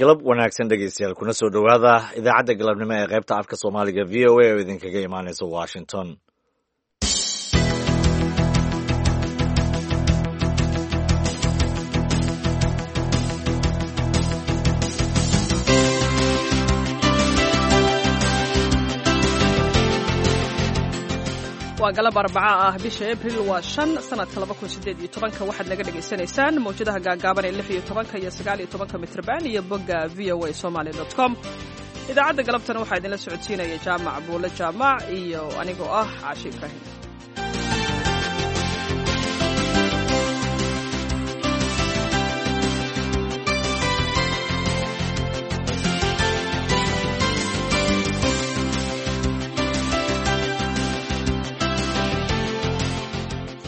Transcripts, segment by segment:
Galab wanaagsan, dhegeystayaal, kuna soo dhowaada idaacadda galabnimo ee qaybta afka Soomaaliga VOA oo idinkaga imaaneysa Washington. Waa galab Arbaca ah, bisha Abril waa 5, sanadka 2018-ka. Waxaad naga dhagaysanaysaan mawjadaha gaagaaban ee 16-ka iyo 19-ka mitrban iyo bogga VOA Somali com. Idaacadda galabtana waxaa idinla socodsiinaya Jaamac Buule Jaamac iyo anigoo ah Caashi Ibraahim.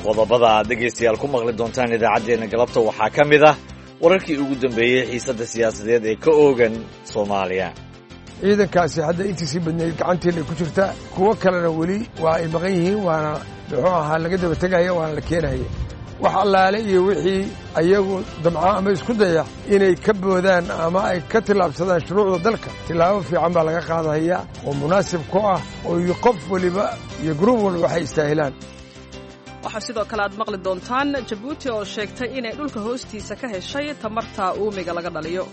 Qodobada aad dhegaystayaal ku maqli doontaan idaacaddeenna galabta waxaa ka mid ah wararkii ugu dambeeyey xiisadda siyaasadeed ee ka oogan Soomaaliya. Ciidankaasi hadda intiisii badnayd gacanteena ku jirta, kuwo kalena weli waa ay maqan yihiin, waana muxuu ahaa laga daba tegaya, waana la keenaya. Wax allaale iyo wixii ayagu damca ama isku daya inay ka boodaan ama ay ka tillaabsadaan shuruucda dalka, tillaabo fiican baa laga qaadaya oo munaasib ku ah oo qof weliba iyo gruub walba waxay istaahilaan. Waxaa sidoo kale aad maqli doontaan Jabuuti oo sheegtay inay dhulka hoostiisa ka heshay tamarta uumiga laga dhaliyo.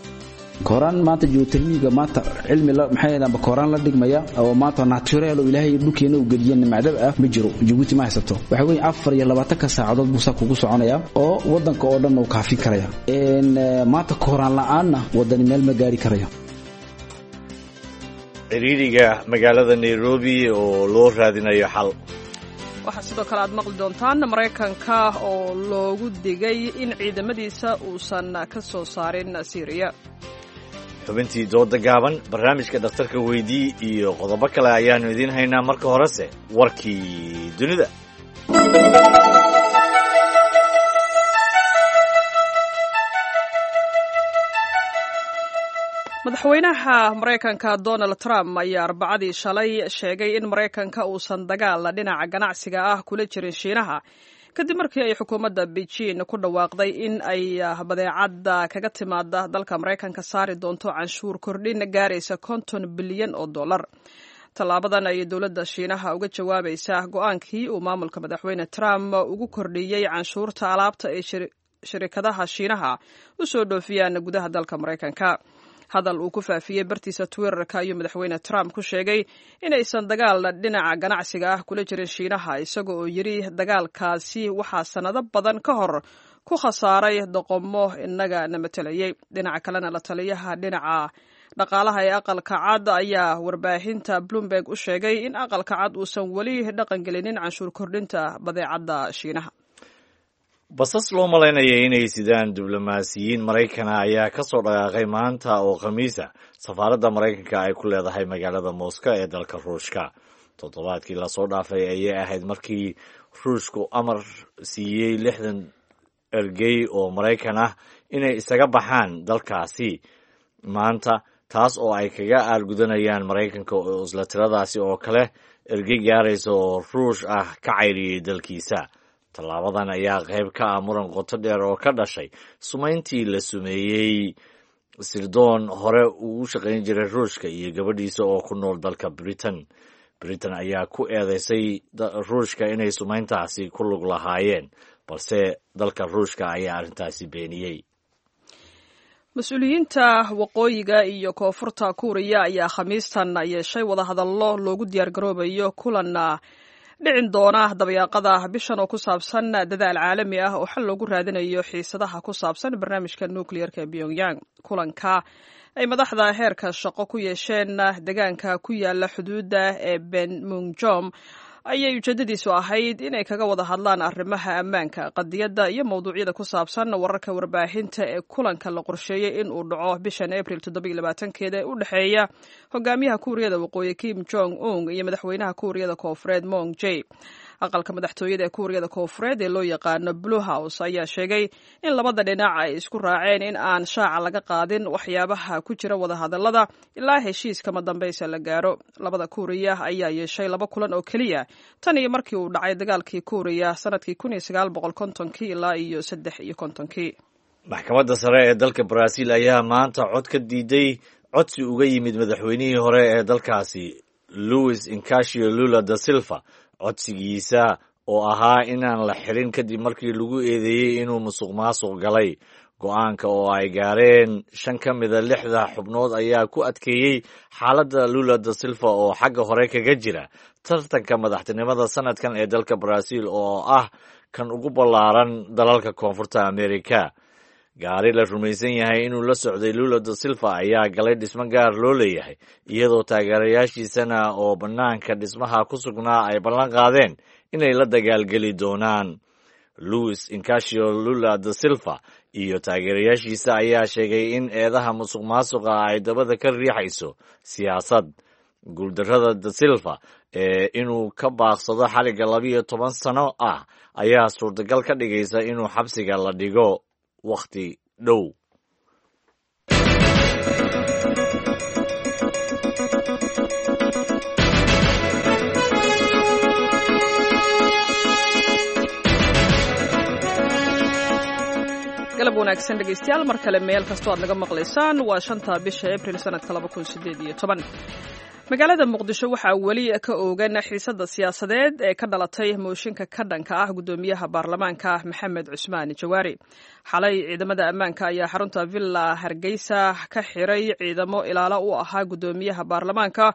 Kooraan maanta geothermiga maanta cilmi maxay ahayd kooraan la dhigmaya oo maanta natural oo Ilaahay dhulkeena u geliyay nimcadab ah ma jiro. Jabuuti ma haysato. Waxa weeye 24-ka saacadood buu saa kugu soconaya oo wadanka oo dhan uu kaafin karaya. Maanta kooraan la'aanna wadani meel ma gaari karayo. Ciriiriga magaalada Nairobi oo loo raadinayo xal. Waxaa sidoo kale aad maqli doontaan Maraykanka oo loogu digay in ciidamadiisa uusan ka soo saarin Siiriya. Xubintii dooda gaaban, barnaamijka dhakhtarka weydii iyo qodobo kale ayaannu idiin haynaa. Marka horese warkii dunida. Madaxweynaha Maraykanka Donald Trump ayaa Arbacadii shalay sheegay in Maraykanka uusan dagaal dhinaca ganacsiga ah kula jirin Shiinaha, kadib markii ay xukuumadda Beijing ku dhawaaqday in ay badeecadda kaga timaada dalka Maraykanka saari doonto canshuur kordhin gaaraysa 50 bilyan oo dollar. Tallaabadan ayay dowladda Shiinaha uga jawaabaysaa go-aankii uu maamulka Madaxweyne Trump ugu kordhiyey canshuurta alaabta ay shirikadaha Shiinaha u soo dhoofiyaan gudaha dalka Maraykanka. Hadal uu ku faafiyey bartiisa Twitterka ayuu Madaxweyne Trump ku sheegay inaysan dagaal dhinaca ganacsiga ah kula jirin Shiinaha, isaga oo yidhi dagaalkaasi waxaa sannado badan ka hor ku khasaaray doqomo inaga na matelayey. Dhinaca kalena, la taliyaha dhinaca dhaqaalaha ee Aqalka Cad ayaa warbaahinta Bloomberg u sheegay in Aqalka Cad uusan weli dhaqangelinin canshuur kordhinta badeecadda Shiinaha. Basas loo malaynaya inay sidaan diblomaasiyiin Maraykana ayaa ka soo dhaqaaqay maanta oo Khamiisa safaaradda Maraykanka ay ku leedahay magaalada Moscow ee dalka Ruushka. Toddobaadkii lasoo dhaafay ayay ahayd markii Ruushku amar siiyey 60 ergey oo Maraykan ah inay isaga baxaan dalkaasi maanta, taas oo ay kaga aargudanayaan Maraykanka oo isla tiradaasi oo kale ergey gaaraysa oo Ruush ah ka cayriyey dalkiisa. Tallaabadan ayaa qayb ka ah muran qoto dheer oo ka dhashay sumayntii la sumeeyey sirdoon hore ugu shaqayn jiray Ruushka iyo gabadhiisa oo ku nool dalka Britain. Britain ayaa ku eedeysay Ruushka inay sumayntaasi ku lug lahaayeen, balse dalka Ruushka ayaa arrintaasi beeniyey. Mas-uuliyiinta Waqooyiga iyo Koonfurta Kuuriya ayaa Khamiistan yeeshay wadahadallo loogu diyaargaroobayo kulan dhicin doona dabayaaqada bishan oo ku saabsan dadaal caalami ah oo xal loogu raadinayo xiisadaha ku saabsan barnaamijka nuclearka ee Pyongyang. Kulanka ay madaxda heerka shaqo ku yeesheen deegaanka ku yaala xuduudda ee Benmunjom ayay ujeedadiisu ahayd inay kaga wada hadlaan arrimaha ammaanka, qadiyadda iyo mowduucyada ku saabsan wararka warbaahinta ee kulanka la qorsheeyey in uu dhaco bishan Abril 27-keeda ee u dhexeeya hogaamiyaha Kuuriyada Waqooyi Kim Jong Un iyo madaxweynaha Kuuriyada Koonfureed Moon Jae. Aqalka madaxtooyada ee Kuuriyada Koonfureed ee loo yaqaano Blue House ayaa sheegay in labada dhinac ay isku raaceen in aan shaaca laga qaadin waxyaabaha ku jira wadahadallada ilaa heshiiskama dambaysa la gaaro. Labada Kuuriya ayaa yeeshay laba kulan oo keliya tan iyo markii uu dhacay dagaalkii Kuuriya sanadkii 1950-kii ilaa iyo 53-kii. Maxkamadda sare ee dalka Brazil ayaa maanta cod ka diiday codsi uga yimid madaxweynihii hore ee dalkaasi Luis Incacio Lula da Silva, codsigiisa oo ahaa inaan la xirin kadib markii lagu eedeeyey inuu musuq maasuq galay. Go-aanka oo ay gaareen 5 ka mida 6da xubnood ayaa ku adkeeyey xaaladda Lula da Silva oo xagga hore kaga jira tartanka madaxtinimada sanadkan ee dalka Brazil oo ah kan ugu ballaaran dalalka Koonfurta Amerika. Gaari la rumaysan yahay inuu la socday Lula da Silva ayaa galay dhismo gaar loo leeyahay, iyadoo taageerayaashiisana oo bannaanka dhismaha ku sugnaa ay ballan qaadeen inay la dagaalgeli doonaan. Luis Incacio Lula da Silva iyo taageerayaashiisa ayaa sheegay in eedaha musuq maasuqa ay dabada ka riixayso siyaasad. Guuldarrada da Silva ee inuu ka baaqsado xaliga 12 sano ah ayaa suurtagal ka dhigaysa inuu xabsiga la dhigo wakhti dhow. Galab wanaagsan dhegaystayaal, mar kale meel kastoo aad naga maqlaysaan. Waa 5ta bisha Abril sanadka 2018. Magaalada Muqdisho waxaa weli ka oogan xiisada siyaasadeed ee ka dhalatay mooshinka ka dhanka ah guddoomiyaha baarlamaanka Maxamed Cusmaan Jawaari. Xalay ciidamada ammaanka ayaa xarunta Villa Hargeysa ka xiray ciidamo ilaalo u ahaa guddoomiyaha baarlamaanka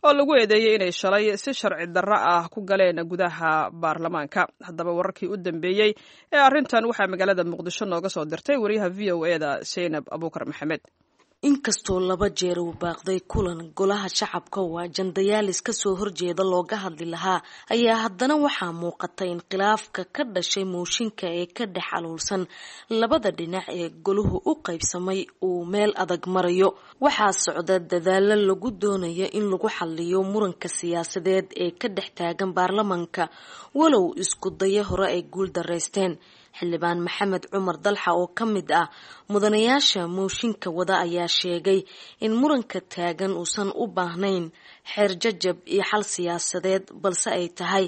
oo lagu eedeeyey inay shalay si sharci darro ah ku galeen gudaha baarlamaanka. Haddaba wararkii u dambeeyey ee arrintan waxaa magaalada Muqdisho nooga soo dirtay wariyaha VOA-da Seynab Abuukar Maxamed. Inkastoo laba jeer uu baaqday kulan golaha shacabka oo ajandayaalis kasoo horjeeda looga hadli lahaa, ayaa haddana waxaa muuqata in khilaafka ka dhashay mooshinka ee ka dhex aluulsan labada dhinac ee goluhu u qaybsamay uu meel adag marayo. Waxaa socda dadaalo lagu doonayo in lagu xaliyo muranka siyaasadeed ee ka dhex taagan baarlamaanka, walow isku dayo hore ay guul daraysteen. Xildhibaan Maxamed Cumar Dalxa oo ka mid ah mudanayaasha mooshinka wada ayaa sheegay in muranka taagan uusan u baahnayn xeer jajab iyo xal siyaasadeed, balse ay tahay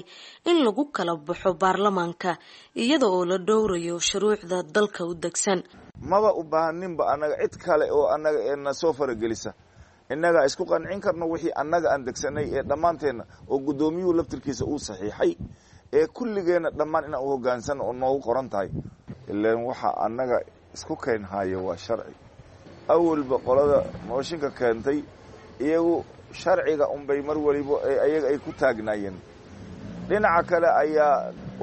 in lagu kala baxo baarlamaanka iyada oo la dhowrayo shuruucda dalka u degsan. Maba u baahaninba annaga cid kale oo annaga ee na soo faragelisa. Innagaa isku qancin karno wixii annaga aan degsanay ee dhammaanteenna oo guddoomiyuhu laftirkiisa uu saxiixay ee kulligeenna dhammaan inaan u hogaansano oo noogu qoran tahay. Ilaan waxa annaga isku keenhaayo waa sharci. Awalba qolada mooshinka keentay iyagu sharciga unbay mar waliba ee ayaga ay ku taagnaayeen. Dhinaca kale ayaa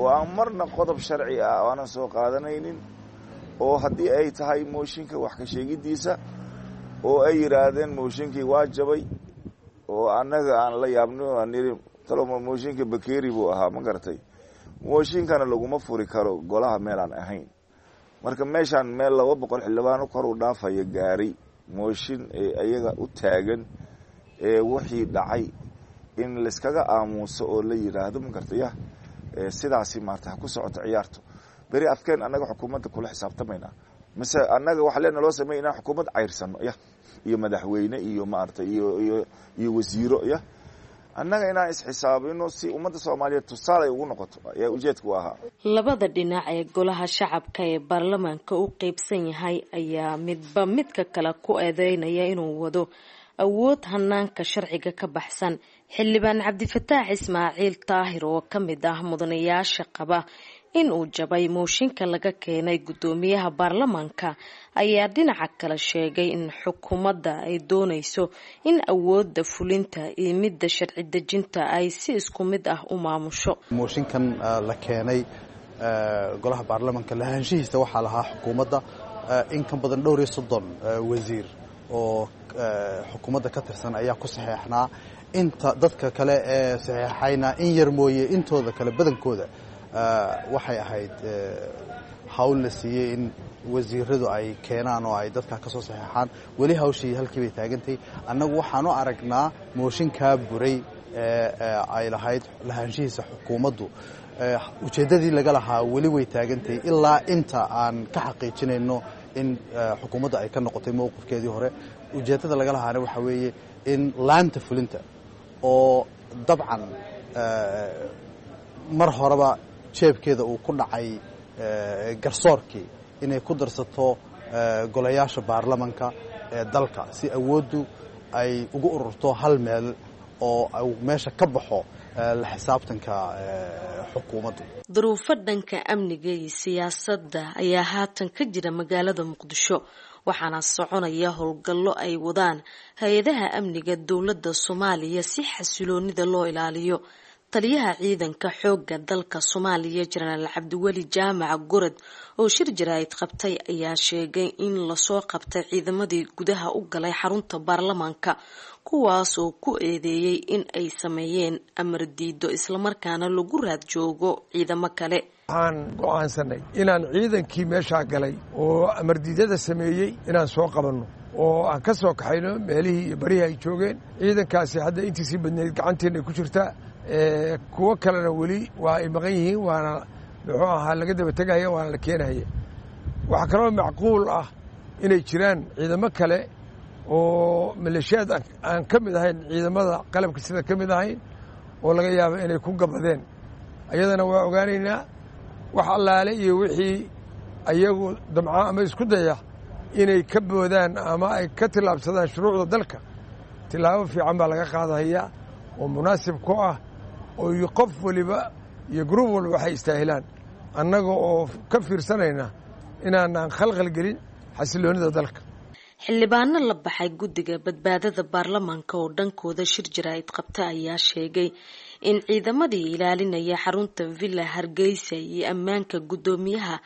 oo aan marna qodob sharci ah aanan soo qaadanaynin, oo haddii ay tahay mooshinka wax ka sheegiddiisa oo ay yidhaahdeen mooshinkii waa jabay, oo annaga aan la yaabno aan nidhi taloma mooshinka bakeeri buu ahaa, ma garatay? Mooshinkana laguma furi karo golaha meelaan ahayn. Marka meeshaan meel 200 xildhibaano kor u dhaafaya gaaray mooshin ee ayaga u taagan ee wixii dhacay in layskaga aamuuso oo la yidhaahdo, ma garatay, yah sidaasi maarata ha ku socoto ciyaarto. Beri afkeen annaga xukuumadda kula xisaabtamaynaa, mise annaga waxa leena loo sameey inaan xukuumad cayrsano, yah, iyo madaxweyne iyo maarata iyo wasiiro, yah, annaga inaan isxisaabino si ummadda Soomaaliyeed tusaale ay ugu noqoto ayaa ujeedka u ahaa. Labada dhinac ee golaha shacabka ee baarlamaanka u qeybsan yahay ayaa midba midka kale ku eedeynaya inuu wado awood hanaanka sharciga ka baxsan. Xildhibaan Cabdifataax Ismaaciil Daahir oo ka mid ah mudanayaasha qaba in uu jabay mooshinka laga keenay guddoomiyaha baarlamaanka ayaa dhinaca kale sheegay in xukuumadda ay doonayso in awoodda fulinta iyo midda sharci dejinta ay si isku mid ah u maamusho. Mooshinkan la keenay golaha baarlamaanka lahaanshihiisa waxaa lahaa xukuumadda. In ka badan dhowr iyo 30 wasiir oo xukuumadda ka tirsan ayaa ku saxeexnaa. Inta dadka kale ee saxeexayna in yar mooye, intooda kale badankooda waxay ahayd hawl la siiyey in wasiiradu ay keenaan oo ay dadka ka soo saxeexaan. Weli hawshii halkii bay taagantay. Annagu waxaan u aragnaa mooshinkaa buray ee ay lahayd lahaanshihiisa xukuumaddu, ujeeddadii laga lahaa weli way taagantay ilaa inta aan ka xaqiijinayno in xukuumadda ay ka noqotay mowqifkeedii hore. Ujeeddada laga lahaana waxaa weeye in laanta fulinta oo dabcan mar horeba jeebkeeda uu ku dhacay garsoorkii inay ku darsato golayaasha baarlamanka ee dalka si awooddu ay ugu ururto hal meel oo meesha ka baxo la xisaabtanka xukuumaddu. Duruufo dhanka amniga iyo siyaasadda ayaa haatan ka jira magaalada Muqdisho, waxaana soconaya howlgallo ay wadaan hay-adaha amniga dowladda Soomaaliya si xasiloonida loo ilaaliyo. Taliyaha ciidanka xoogga dalka Soomaaliya Jenaraal Cabdiweli Jaamac Gorod oo shir jaraa'id qabtay ayaa sheegay in lasoo qabtay ciidamadii gudaha u galay xarunta baarlamaanka, kuwaas oo ku eedeeyay in ay sameeyeen amar diido islamarkaana lagu raad joogo ciidamo kale. Waxaan go'aansanay inaan ciidankii meeshaa galay oo amardiidada sameeyey inaan soo qabanno oo aan ka soo kaxayno meelihii iyo barihii ay joogeen. Ciidankaasi hadda intiisii badnayd gacanteena ay ku jirtaa, kuwo kalena weli waa ay maqan yihiin, waana muxuu ahaa laga daba tegahaya waana la keenahaya. Waxaa kaloo macquul ah inay jiraan ciidamo kale oo maleeshiyaad aan ka mid ahayn ciidamada qalabka sida ka mid ahayn oo laga yaabo inay ku gabadeen, ayadana waa ogaanaynaa. Wax allaale iyo wixii ayagu damca ama isku daya inay ka boodaan ama ay ka tillaabsadaan shuruucda dalka, tillaabo fiican baa laga qaadahaya oo munaasib ku ah oo qof waliba iyo gruub walba waxay istaahilaan, annaga oo ka fiirsanayna inaanaan khalkhal gelin xasiloonida dalka. Xildhibaano la baxay guddiga badbaadada baarlamaanka oo dhankooda shir jaraa'id qabta ayaa sheegay in ciidamadii ilaalinaya xarunta Villa Hargeysa iyo ammaanka guddoomiyaha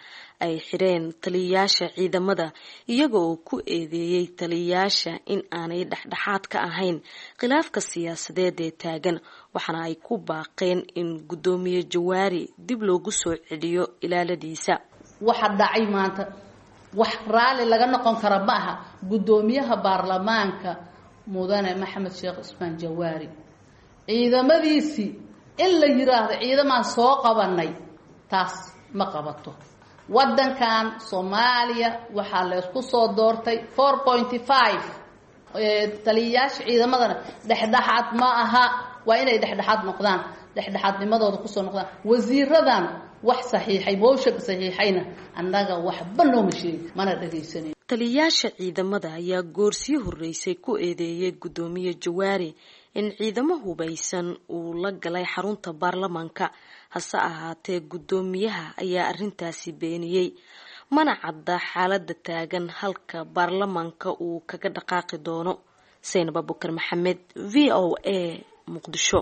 ay xireen taliyayaasha ciidamada, iyaga oo ku eedeeyey taliyayaasha in aanay dhexdhexaad ka ahayn khilaafka siyaasadeed ee taagan, waxaana ay ku baaqeen in guddoomiye Jawaari dib loogu soo celiyo ilaaladiisa. Waxa dhacay maanta wax raalli laga noqon kara ma aha. Guddoomiyaha baarlamaanka mudane Maxamed Sheekh Cusmaan Jawaari ciidamadiisii in la yiraahdo ciidamaan soo qabanay, taas ma qabato. Waddankan Soomaaliya waxaa laysku soo doortay 4.5. Taliyayaasha ciidamadana dhexdhexaad ma aha, waa inay dhexdhexaad noqdaan, dhexdhexaadnimadooda kusoo noqdaan. Wasiiradan wax saxiixay mooshanka saxiixayna annaga waxba nooma sheegi mana dhagaysanin. Taliyayaasha ciidamada ayaa goorsii horreysay ku eedeeyay guddoomiye Jawaari in ciidamo hubaysan uu la galay xarunta baarlamaanka, hase ahaatee guddoomiyaha ayaa arrintaasi beeniyey. Mana cadda xaaladda taagan halka baarlamaanka uu kaga dhaqaaqi doono. Saynab Abukar Maxamed, V O A, Muqdisho.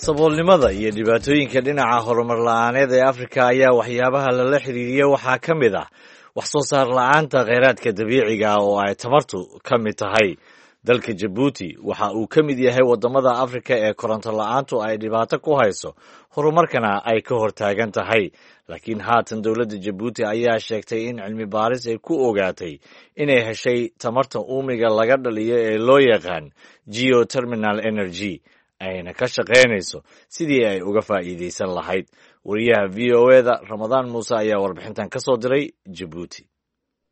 Saboolnimada iyo dhibaatooyinka dhinaca horumar la-aaneed ee Afrika ayaa waxyaabaha lala xiriiriya waxaa ka mid ah wax soo saar la-aanta kheyraadka dabiiciga ah oo ay tamartu ka mid tahay. Dalka Jabuuti waxa uu ka mid yahay waddamada Afrika ee koronto la-aantu ay dhibaato ku hayso, horumarkana ay ka hortaagan tahay. Laakiin haatan dowladda Jabuuti ayaa sheegtay in cilmi baaris ay ku ogaatay inay heshay tamarta uumiga laga dhaliyo ee loo yaqaan geoterminal energy, ayna ka shaqaynayso sidii ay uga faa'iidaysan lahayd. Wariyaha V O E da Ramadaan Muuse ayaa warbixintan ka soo diray Jabuuti.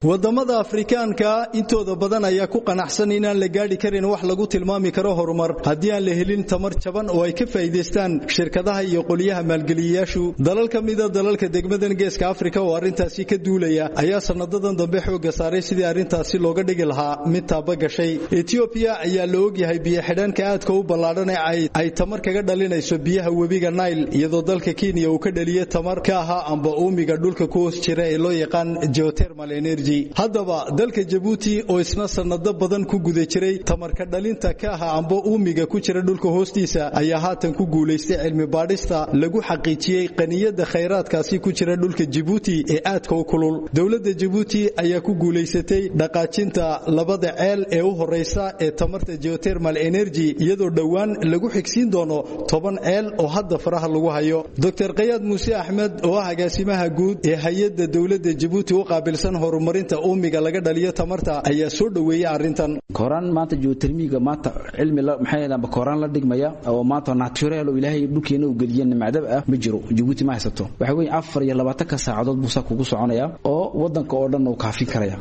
Wadamada Afrikaanka intooda badan ayaa ku qanacsan inaan la gaadhi karin wax lagu tilmaami karo horumar haddii aan la helin tamar jaban oo ay ka faa'iidaystaan shirkadaha iyo qoliyaha maalgeliyayaashu. Dalal ka mida dalalka degmadan Geeska Afrika oo arrintaasi ka duulaya ayaa sanadadan dambe xoogga saaray sidii arrintaasi looga dhigi lahaa mid taaba gashay. Ethiopia ayaa la ogyahay biyo xidhanka aadka u ballaadhan ee ay tamar kaga dhalinayso biyaha webiga Nile, iyadoo dalka Kenya uu ka dhaliyay tamar ka ahaa amba uumiga dhulka ku hoos jira ee loo yaqaan geothermal energy. Haddaba dalka Jabuuti oo isna sanado badan ku guda jiray tamarka dhalinta ka ahaa amba uumiga ku jira dhulka hoostiisa ayaa haatan ku guulaystay cilmi baadhista lagu xaqiijiyey qaniyada khayraadkaasi ku jira dhulka Jabuuti ee aadka u kulul. Dowladda Jabuuti ayaa ku guulaysatay dhaqaajinta labada ceel ee u horeysa ee tamarta geothermal energy, iyadoo dhowaan lagu xigsiin doono 10 ceel oo hadda faraha lagu hayo. Dr. Qayaad Muuse Axmed oo ah agaasimaha guud ee hay'adda dowladda Jabuuti u qaabilsan horumar horumarinta uumiga laga dhaliyo tamarta ayaa soo dhoweeyey arrintan. Kooraan maanta geothermiga maanta cilmi maxay ahayd kooraan la dhigmaya oo maanta natural oo Ilaahay dhulkeena u geliyay nimcadab ah ma jiro. Djibouti ma haysato. Waxa weeye 24 saacadood buu saa kugu soconaya oo wadanka oo dhan uu kaafin karaya.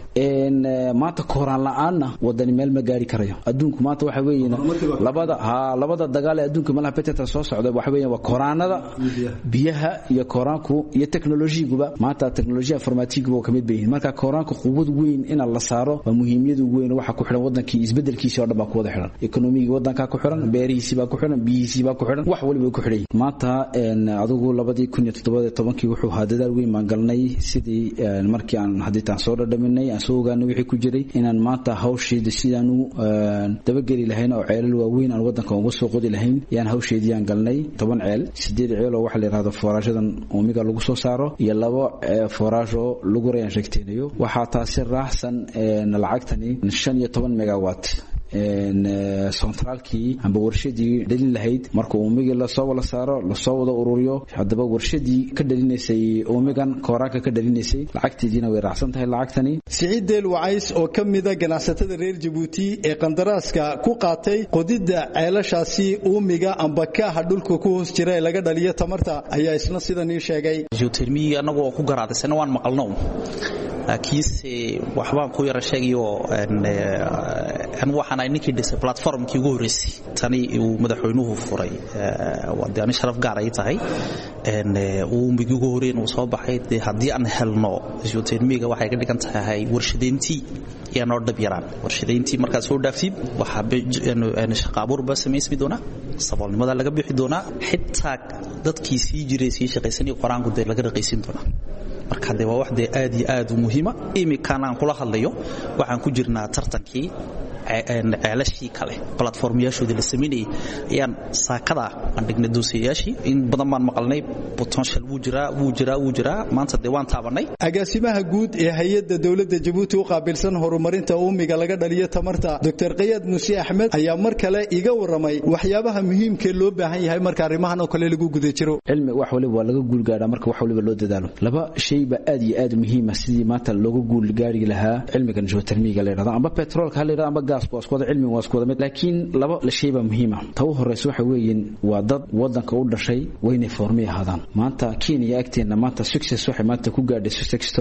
Maanta kooraan la'aanna wadani meel ma gaari karayo. Adduunku maanta waxa weeye labada dagaal ee adduunka malaha petrol soo socda waxa weeye waa koraanada biyaha iyo koraanku iyo teknolojiyiguba maanta teknolojiya informatiiguba kamid bay yihiin. Marka koraanku quwad weyn in la saaro waa muhiimiyad weyn. Waxa ku xiran wadankii isbedelkiisa oo dhan baa ku wada xiran, ekonomigii wadanka ku xiran, beerihiisii baa ku xiran, biyihiisii baa ku xiran, wax waliba ku xiran. Maanta adigu 2017 wuxuu ahaa dadaal weyn baan galnay sidii markii aan haditaan soo dhadhaminay aan soo ogaanay wixii ku jiray inaan maanta hawsheeda sidaan u dabageli lahayn oo ceelal waaweyn aan wadanka uga soo qodi lahayn yaan hawsheedii aan galnay. 10 ceel, 8 ceel oo waxa la yiraahdo foorashadan uumiga lagu soo saaro iyo 2 foorash oo lagu rayaan sheegteenayo. Waxaa taasi raacsan lacagtani 15 megawatt centraalkii amba warshadii dhalin lahayd. Marka uumigii lasoo wada saaro, lasoo wada ururiyo, haddaba warshadii ka dhalinaysay uumigan kooraanka ka dhalinaysay lacagteediina way raacsan tahay lacagtani. Siciid Deel Wacays oo ka mida ganacsatada reer Djibouti ee qandaraaska ku qaatay qodidda ceelashaasi uumiga amba kaaha dhulka ku hoos jira ee laga dhaliyo tamarta ayaa isna sidan ii sheegay. Geothermiga annagu oo ku garaadaysana waan maqalno, laakiinse waxbaan ku yara sheegayo anigu waxaan ahay ninkii dhisay platformkii ugu horreysay tani uu madaxweynuhu furay. Waa dee ani sharaf gaar ay tahay uumigii ugu horreyn uu soo baxay. Dee haddii aan helno geothermiga waxay ka dhigan tahay warshadeyntii yaa noo dhab yaraan. Warshadeyntii markaad soo dhaaftid waxaa shaqa abuur baa samaysmi doonaa, saboolnimada laga bixi doonaa, xitaa dadkii sii jiray sii shaqaysanaya qoraanku dee laga raqaysin doonaa. Marka dee waa wax dee aad iyo aad u muhiima. Iminkan aan kula hadlayo waxaan ku jirnaa tartankii ceelashii kale platformyaashoodii la samaynayay ayaan saakada aan dhignay doosiyayaashii. In badan baan maqalnay potential wuu jiraa, wuu jiraa, wuu jiraa. Maanta dee waan taabanay. Agaasimaha guud ee hay-adda dowladda Djibouti u qaabilsan horumarinta uumiga laga dhaliyo tamarta Dr. Qayaad Muuse Axmed ayaa mar kale iga warramay waxyaabaha muhiimka loo baahan yahay marka arrimahan oo kale lagu guda jiro. Cilmi wax waliba waa laga guul gaadhaa marka wax waliba loo dadaalo. Laba shay baa aad iyo aad muhiim ah sidii maanta looga guul gaari lahaa cilmigan geothermiga la yidhahdo amba petroolka ha la yidhahdo amba gaas waa isku wada cilmi, waa isku wada mid, laakiin laba shay baa muhiim ah. Ta u horeysa waxa weeyeen waa dad wadanka u dhashay waynay foormi ahaadaan. Maanta Kenya agteena maanta success waxay maanta ku gaadhay success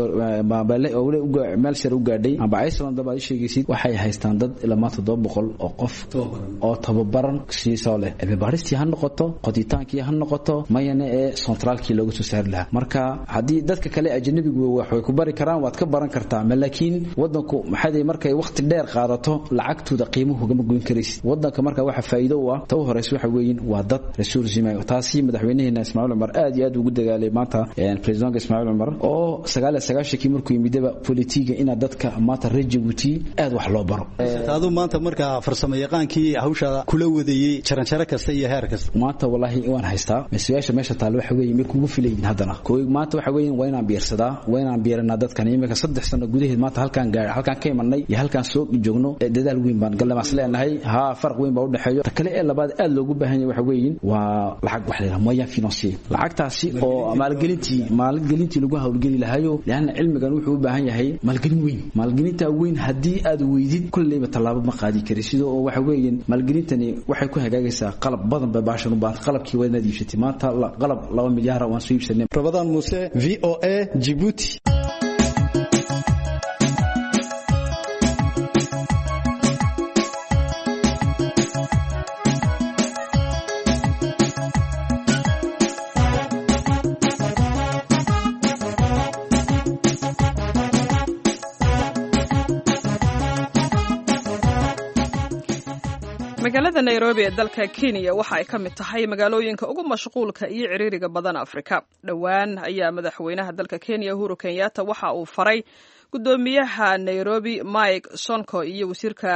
meel sare u gaadhay amba Iceland baad sheegaysid waxay haystaan dad ilaa maanta 700 oo qof oo tababaran siisoo leh cilmi baaristii ha noqoto, qoditaankii ha noqoto, mayana ee centraalkii looga soo saari lahaa. Marka haddii dadka kale ajnabigu wax way ku bari karaan, waad ka baran kartaa, laakiin wadanku maxay markay waqti dheer qaadato lacagtooda qiimuhu kama goyn karaysid wadanka. Marka waxa faa'iido u ah ta u horeysa waxa weeyeen waa dad resource. Taasi madaxweynaheena Ismaaciil Cumar aad iyo aad ugu dagaalay. Maanta presidentka Ismaaciil Cumar oo 99kii markuu yimidaba politiga ina dadka maanta reer Djibouti aad wax loo baro. Taadu maanta marka farsamo yaqaankii hawsha kula wadayay jaranjaro kasta iyo heer kasta maanta wallahi waan haystaa. Meesha meesha taal waxa weeye ma kugu filayn haddana kooy maanta waxa weeye waa inaan biirsadaa, waa inaan biiranaa dadkan. Imika 3 sano gudaheed maanta halkaan gaar halkaan ka imanay iyo halkaan soo joogno dadaal weyn baan galnay mas leenahay ha farq weyn baa u dhaxeeyo. Ta kale ee labaad aad loogu baahan yahay waxa weeye waa lacag, wax la moyen financier, lacagtaasi oo maalgelintii lagu hawlgeli lahayo, laana cilmigan wuxuu u baahan yahay maalgelin weyn. Maalgelinta weyn haddii aad weydid kullayba tallaabo ma qaadi kari. Sidoo oo waxa weeye maalgelintani waxay ku hagaagaysaa qalab badan bay baashan u baahan, qalabkii waa inaad iibsatay. Maanta qalab 2 milyaar waan soo iibsanay. Rabadaan Muuse, VOA, Djibouti. Magaalada Nairobi ee dalka Kenya waxa ay ka mid tahay magaalooyinka ugu mashquulka iyo ciriiriga badan Afrika. Dhowaan ayaa madaxweynaha dalka Kenya Uhuru Kenyatta waxa uu faray gudoomiyaha Nairobi Mike Sonko iyo wasiirka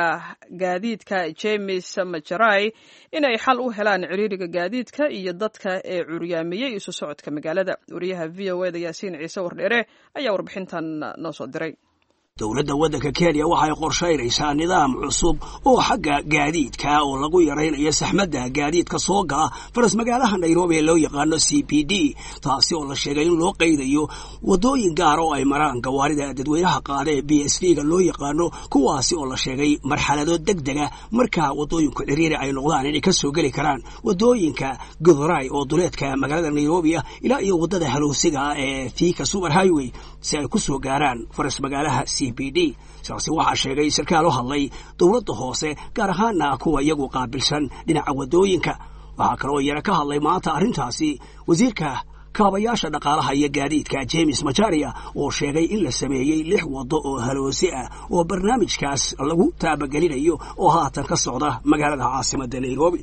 gaadiidka James Macharai inay xal u helaan ciriiriga gaadiidka iyo dadka ee curyaamiyey isu socodka magaalada. Wariyaha v o eda Yaasiin Ciise Wardheere ayaa warbixintan noo soo diray. Dowladda waddanka Kenya waxay qorshaynaysaa nidaam cusub oo xagga gaadiidka oo lagu yaraynayo saxmadda gaadiidka soo gala faras magaalaha Nairobi ee loo yaqaano CBD, taasi oo la sheegay in loo qaydayo waddooyin gaar oo ay maraan gawaarida dadweynaha qaada ee BSV ga loo yaqaano, kuwaasi oo la sheegay marxalado deg dega marka waddooyinku ciriiri ay noqdaan inay ka soo geli karaan waddooyinka Githurai oo duleedka magaalada Nairobi ah ilaa iyo waddada halowsiga ee Thika Super Highway si ay ku soo gaaraan faras magaalaha CBD. Sidaasi waxaa sheegay sarkaal u hadlay dowladda hoose, gaar ahaana kuwa iyagu qaabilsan dhinaca waddooyinka. Waxaa kaloo iyana ka hadlay maanta arrintaasi wasiirka kaabayaasha dhaqaalaha iyo gaadiidka, James Macharia, oo sheegay in la sameeyey lix waddo oo haloosi ah oo barnaamijkaas lagu taabagelinayo oo haatan ka socda magaalada caasimadda Nairobi.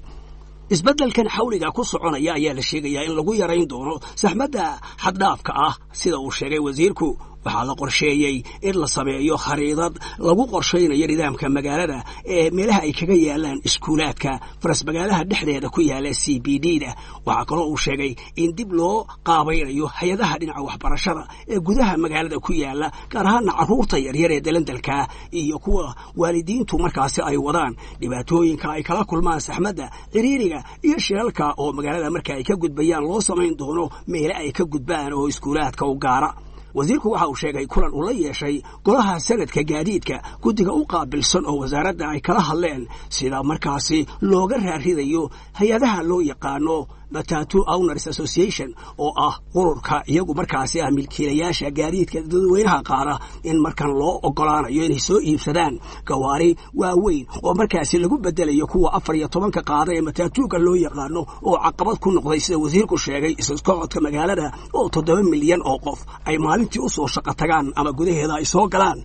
Isbeddelkan xawliga ku soconaya ayaa la sheegayaa in lagu yarayn doono saxmadda xaddhaafka ah. Sida uu sheegay wasiirku, waxaa la qorsheeyey in la sameeyo khariidad lagu qorshaynayo nidaamka magaalada ee meelaha ay kaga yaalaan iskuulaadka faras magaalaha dhexdeeda ku yaala CBD da. Waxaa kaloo uu sheegay in dib loo qaabaynayo hay-adaha dhinaca waxbarashada ee gudaha magaalada ku yaala, gaar ahaana carruurta yaryar ee dalandalka iyo kuwa waalidiintu markaasi ay wadaan, dhibaatooyinka ay kala kulmaan saxmadda, ciriiriga iyo shilalka oo magaalada marka ay ka gudbayaan loo samayn doono meele ay ka gudbaan oo iskuulaadka u gaara. Wasiirku waxa uu sheegay kulan uu la yeeshay golaha sanadka gaadiidka guddiga u qaabilsan oo wasaaradda ay kala hadleen sida markaasi looga raaridayo hay-adaha loo yaqaano Matatu Owners Association, oo ah ururka iyagu markaasi ah milkiilayaasha gaadiidka dadweynaha qaada, in markan loo ogolaanayo inay soo iibsadaan gawaari waaweyn oo markaasi lagu bedelayo kuwa 14-ka qaada ee matatuuga loo yaqaano, oo caqabad ku noqday, sida wasiirku sheegay, isusocodka magaalada oo 7 milyan oo qof ay maalintii u soo shaqo tagaan ama gudaheeda ay soo galaan,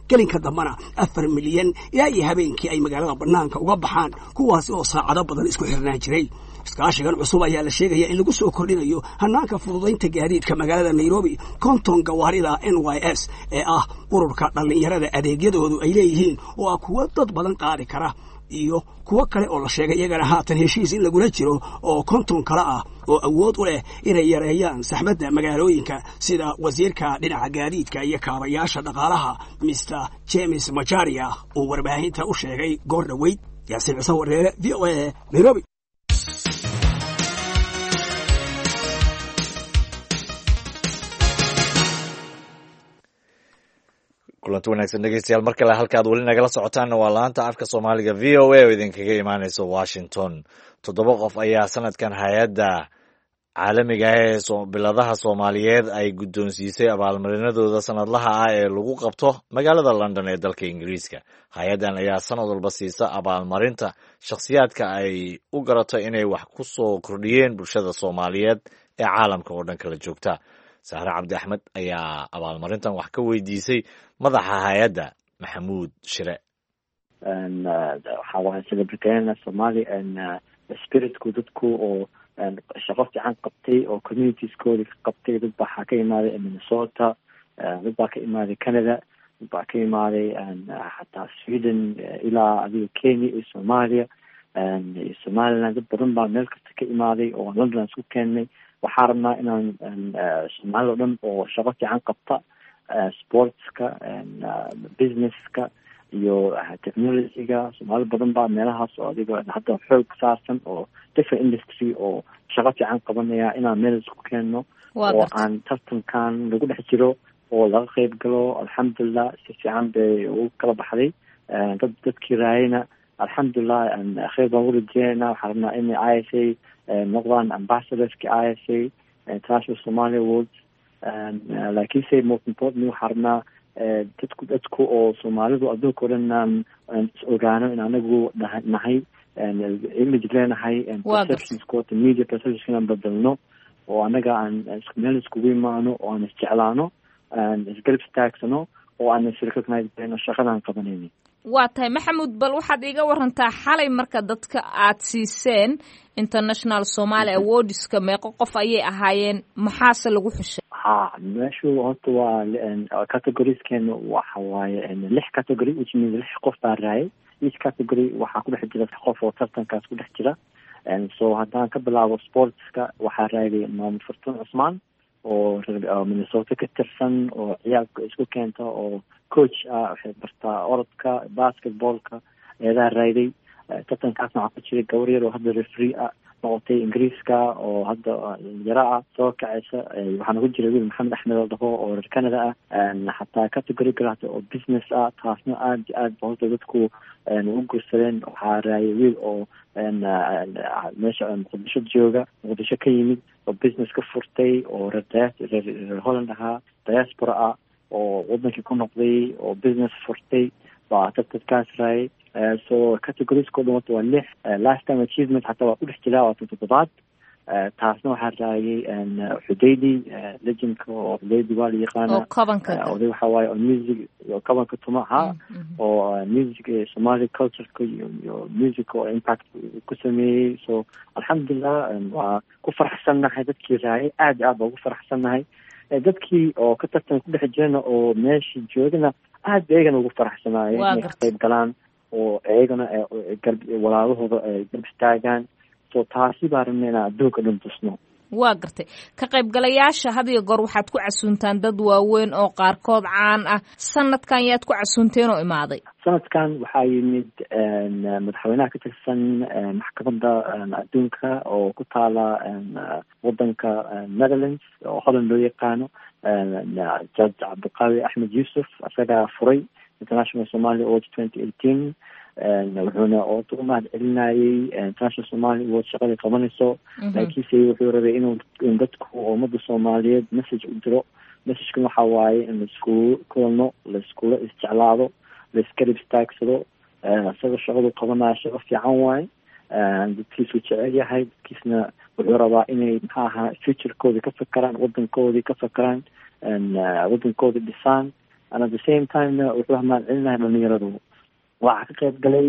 gelinka dambana 4 milyan ilaa iyo habeenkii ay magaalada bannaanka uga baxaan, kuwaasi oo saacado badan isku xirnaan jiray. Iskaashigan cusub ayaa la sheegaya in lagu soo kordhinayo hanaanka fududaynta gaadiidka magaalada Nairobi 50 gawaarida NYS ee ah ururka dhallinyarada adeegyadoodu ay leeyihiin, oo ah kuwo dad badan qaadi kara, iyo kuwo kale oo la sheegay iyagana haatan heshiis in lagula jiro oo 50 kale ah oo awood u leh inay yareeyaan saxmadda magaalooyinka, sida wasiirka dhinaca gaadiidka iyo kaabayaasha dhaqaalaha, Mr James Macharia, uu warbaahinta u sheegay goor dhoweyd. Yaasiin Ciise Wareere, VOA, Nairobi. Kulanti wanaagsan, dhegeystayaal, mar kale. Halkaad weli nagala socotaanna waa laanta afka Soomaaliga VOA oo idinkaga imaaneysa Washington. Toddoba qof ayaa sanadkan hay-adda caalamiga ah ee biladaha Soomaaliyeed ay guddoonsiisay abaalmarinadooda sanadlaha ah ee lagu qabto magaalada London ee dalka Ingiriiska. Hay-addan ayaa sanad walba siisa abaalmarinta shakhsiyaadka ay u garato inay wax ku soo kordhiyeen bulshada Soomaaliyeed ee caalamka oo dhan kala joogta. Sahre Cabdi Axmed ayaa abaalmarintan wax ka weydiisay madaxa hay-adda, Maxamuud Shire. Waxaa waaye celebrate Somali spiritku, dadku oo shaqo fiican qabtay oo communitieskoodi ka qabtay. Dad baa waxaa ka imaaday Minnesota, dad baa ka imaaday Canada, dad baa ka imaaday xataa Sweden, ilaa adiga Kenya iyo Soomaaliya iyo Somaliland. Dad badan baa meel kasta ka imaaday oo London isku keennay. Waxaa rabnaa inaan Soomaalida o dhan oo shaqo fiican qabta, sportska, businesska iyo technologyga, Soomaali badan baa meelahaas oo adiga hadda xoog saarsan oo different industry oo shaqo fiican qabanaya, inaan meel isku keenno oo aan tartankan lagu dhex jiro oo laga qeyb galo. Alxamdulilah, si fiican bay ugu kala baxday. Dadkii raayayna, alxamdulilah, kheyr baan ugu rajeynayna. Waxaan rabnaa inay ISA noqdaan ambassadorski ISA, International Somali Awards. Laakiinse most importantly, waxaan rabnaa dadku oo Soomaalidu adduunka o dhan inaan is ogaano in anagu nahay image leenahay, perceptionskota, media perceptions inaan bedelno oo anaga aan meel iskugu imaano oo aan isjeclaano, aan isgarab istaagsano oo aan isrecognize gareyno shaqadaan qabanayni. Waa tahay, Maxamuud. Bal waxaad iiga warantaa xalay marka dadka aad siiseen International Somali Awardska, meeqo qof ayay ahaayeen, maxaase lagu xushay? Ha, meeshu horta waa categorieskeena waxa waaye lix category, which means lix qof baa raayay. Each category waxaa ku dhex jira qof oo tartankaas ku dhex jira. So haddaan ka bilaabo sportska, waxaa raayay Maamud Fartuun Cusmaan. oo Minnesota ka tirsan oo ciyaalka isku keenta oo coach ah, waxay bartaa orodka, basketballka, eedaha raayday. Tartankaasna waxaa ku jiray gabar yar oo hadda referee ah noqotay Ingiriiska oo hadda yara ah soo kacaysa. Waxaana ku jiray wiil Maxamed Axmed oo dhaho oo reer Canada ah, xataa category kale hata oo business ah, taasna aad iyo aad ba horta dadku u guursadeen. Waxaa raayay wiil oo meesha Muqdisho jooga, Muqdisho ka yimid oo business ka furtay oo reer Holland ahaa, diaspora ah oo wadankii ku noqday oo business furtay baa tartankaas raayay. So categoriesko dhan horta waa lix. Lifetime achievement xataa waa ku dhex jiraa, waa tan toddobaad. Taasna waxaa raayay Xudaydi, legendka oo Xudaydi waa la yaqaana, oday waxa waaye oo music oo kabanka tuma ahaa oo music Somali cultureka iyo music oo impact ku sameeyey. So alxamdulilah, waa ku faraxsannahay dadkii raayay, aad iyo aad baa ugu faraxsannahay. Dadkii oo ka tartan ku dhex jirana oo meesha joogana aad ba iyagana ugu faraxsanaayeen inay ka qayb galaan oo iyagana garb walaalahooda ay garb istaagaan. So taasi baa rabna inaan adduunka dhan tusno. Waa gartay. Ka qaybgalayaasha had iyo goor waxaad ku casuuntaan dad waaweyn oo qaarkood caan ah. Sanadkan yaad ku casuunteen oo imaaday? Sanadkan waxaa yimid madaxweynaha ka tirsan maxkamadda adduunka oo ku taala wadanka Netherlands oo Holland loo yaqaano, Judge Cabdiqaawi Axmed Yuusuf. Isagaa furay International Somali Awards 2018, wuxuuna orta u mahad celinayay International Somali Awards shaqadii qabanayso, laakiinse wuxuu rabay inuu in dadku ummadda Soomaaliyeed message u diro. Messagekan waxa waaye in laiskugu kulano, laiskula isjeclaado, laiskarib istaagsado. Isaga shaqadu qabanaya shaqo fiican waaye, dadkiisuu jecel yahay, dadkiisna wuxuu rabaa inay maxaa ahaa futurekoodii ka fakeraan, wadankoodii ka fakeraan, wadankoodii dhisaan, and at the same timena wuxuu mahad celinahay dhalinyaradu. Waxaa ka qayb galay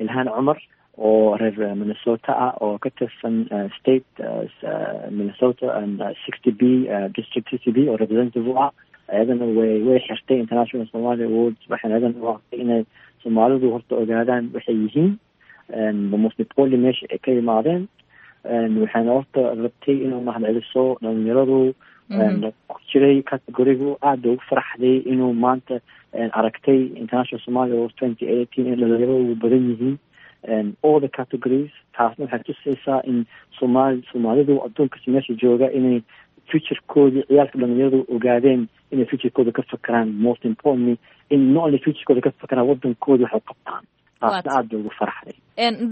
Ilhaan Cumar oo reer Minnesota ah oo ka tirsan state Minnesota 60B, district 60B oo representative u ah. Iyadana way xirtay International Somali Awards, waxayna iyadana waaqtay inay Soomaalidu horta ogaadaan waxay yihiin, most importantly meesha ay ka yimaadeen. Waxayna horta rabtay inuu mahad celiso dhalinyaradu ku jiray categorigu. Aada ugu faraxday inuu maanta aragtay International Somali Awards 2018 in dhalinyaradu badan yihiin all the categories. Taasna waxay tusaysaa in Soomaalidu adduunkas meesha jooga inay futurekoodii ciyaalka dhalinyaradu ogaadeen inay futurekooda ka fakeraan, most importantly in not only futurekooda ka fakeraan, wadankoodi waxay qabtaan. Taasna aada bay ugu faraxday.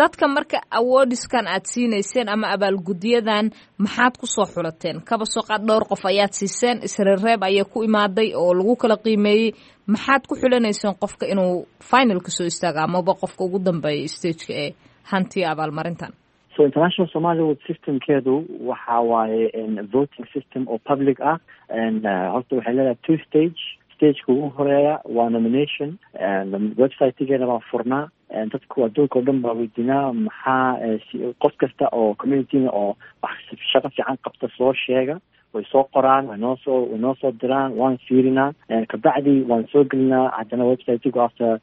Dadka marka awoodiskan aad siinayseen ama abaalgudyadan maxaad kusoo xulateen? Kaba soo qaad dhowr qof ayaad siiseen, isreerreeb ayaa ku imaaday oo lagu kala qiimeeyey. Maxaad ku xulanayseen qofka inuu finalka soo istaago amaba qofka ugu dambeeya stageka ee hantiya abaalmarintan? So International Somali Award systemkeedu waxa waaye voting system oo public ah. Horta waxay leedahay two stage. Stageka ugu horeeya waa nomination. Websitegeena baan furnaa, dadku adduunka oo dhan baa weydiinaa maxaa qof kasta oo communityna oo wax shaqo fiican qabta soo sheega. Way soo qoraan, way noo soo diraan, waan fiirinaa, kabacdi waan soo gelinaa haddana websitegu after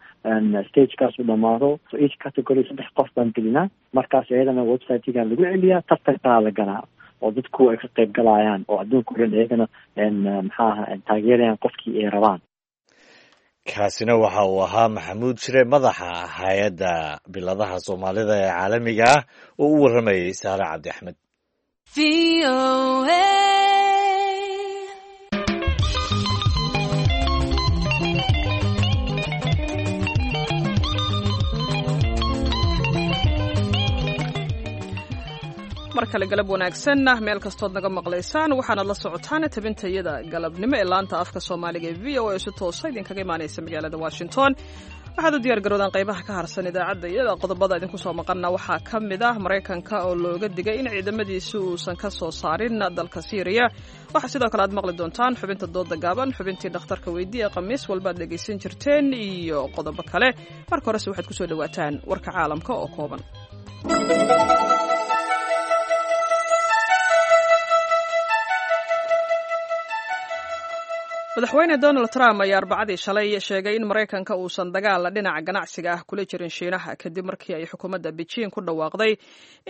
stagekaas uu dhamaado. So each category saddex qof baan gelinaa, markaas iyadana websitegaa lagu celiyaa, tartankaa la galaa oo dadku ay ka qayb galayaan oo adduunka o dhan iyagana maxaa aha taageerayaan qofkii ay rabaan. Kaasina waxa uu ahaa Maxamuud Shire, madaxa hay-adda biladaha Soomaalida ee caalamiga ah, oo u warramayay Saare Cabdi Axmed. Mar kale galab wanaagsan meel kastood naga maqlaysaan. Waxaanaad la socotaan tabintayada galabnimo ee laanta afka Soomaaliga ee VOA si toosa idinkaga imaanaysa magaalada Washington. Waxaad u diyaar garoodaan qaybaha ka harsan idaacadda iyada. Qodobada idinku soo maqanna waxaa ka mid ah Maraykanka oo looga digay in ciidamadiisi uusan ka soo saarin dalka Siiriya. Waxaa sidoo kale aad maqli doontaan xubinta dooda gaaban, xubintii dhakhtarka weydii ee khamiis walbaad dhegaysan jirteen iyo qodobo kale. Marka horese waxaad kusoo dhawaataan warka caalamka oo kooban. Madaxweyne Donald Trump ayaa Arbacadii shalay sheegay in Maraykanka uusan dagaal dhinaca ganacsiga ah kula jirin Shiinaha, kadib markii ay xukuumadda Beijing ku dhawaaqday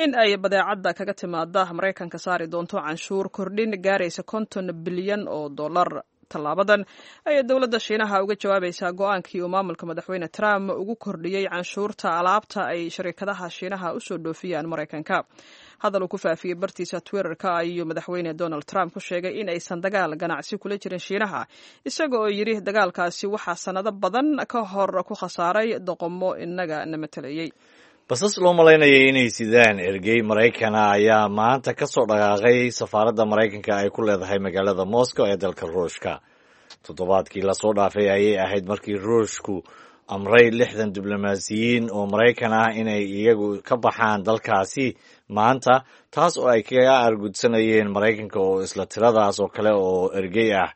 in ay badeecadda kaga timaada Maraykanka saari doonto canshuur kordhin gaaraysa 50 bilyan oo dollar. Tallaabadan ayay dowladda Shiinaha uga jawaabaysaa go-aankii uu maamulka Madaxweyne Trump ugu kordhiyey canshuurta alaabta ay shirkadaha Shiinaha usoo dhoofiyaan Maraykanka. Hadal uu ku faafiyey bartiisa Twitterka ayuu Madaxweyne Donald Trump ku sheegay in aysan dagaal ganacsi kula jirin Shiinaha, isaga oo yidhi dagaalkaasi waxaa sannado badan ka hor ku khasaaray doqomo inaga na matalayey. Basas loo malaynayay inay sidaan ergey Maraykana ayaa maanta ka soo dhaqaaqay safaaradda Maraykanka ay ku leedahay magaalada Moscow ee dalka Ruushka. Toddobaadkii lasoo dhaafay ayay ahayd markii Ruushku amray 60 diblomaasiyiin oo Maraykan ah inay iyagu ka baxaan dalkaasi maanta, taas oo ay kaga argudsanayeen Maraykanka oo isla tiradaas oo kale oo ergey ah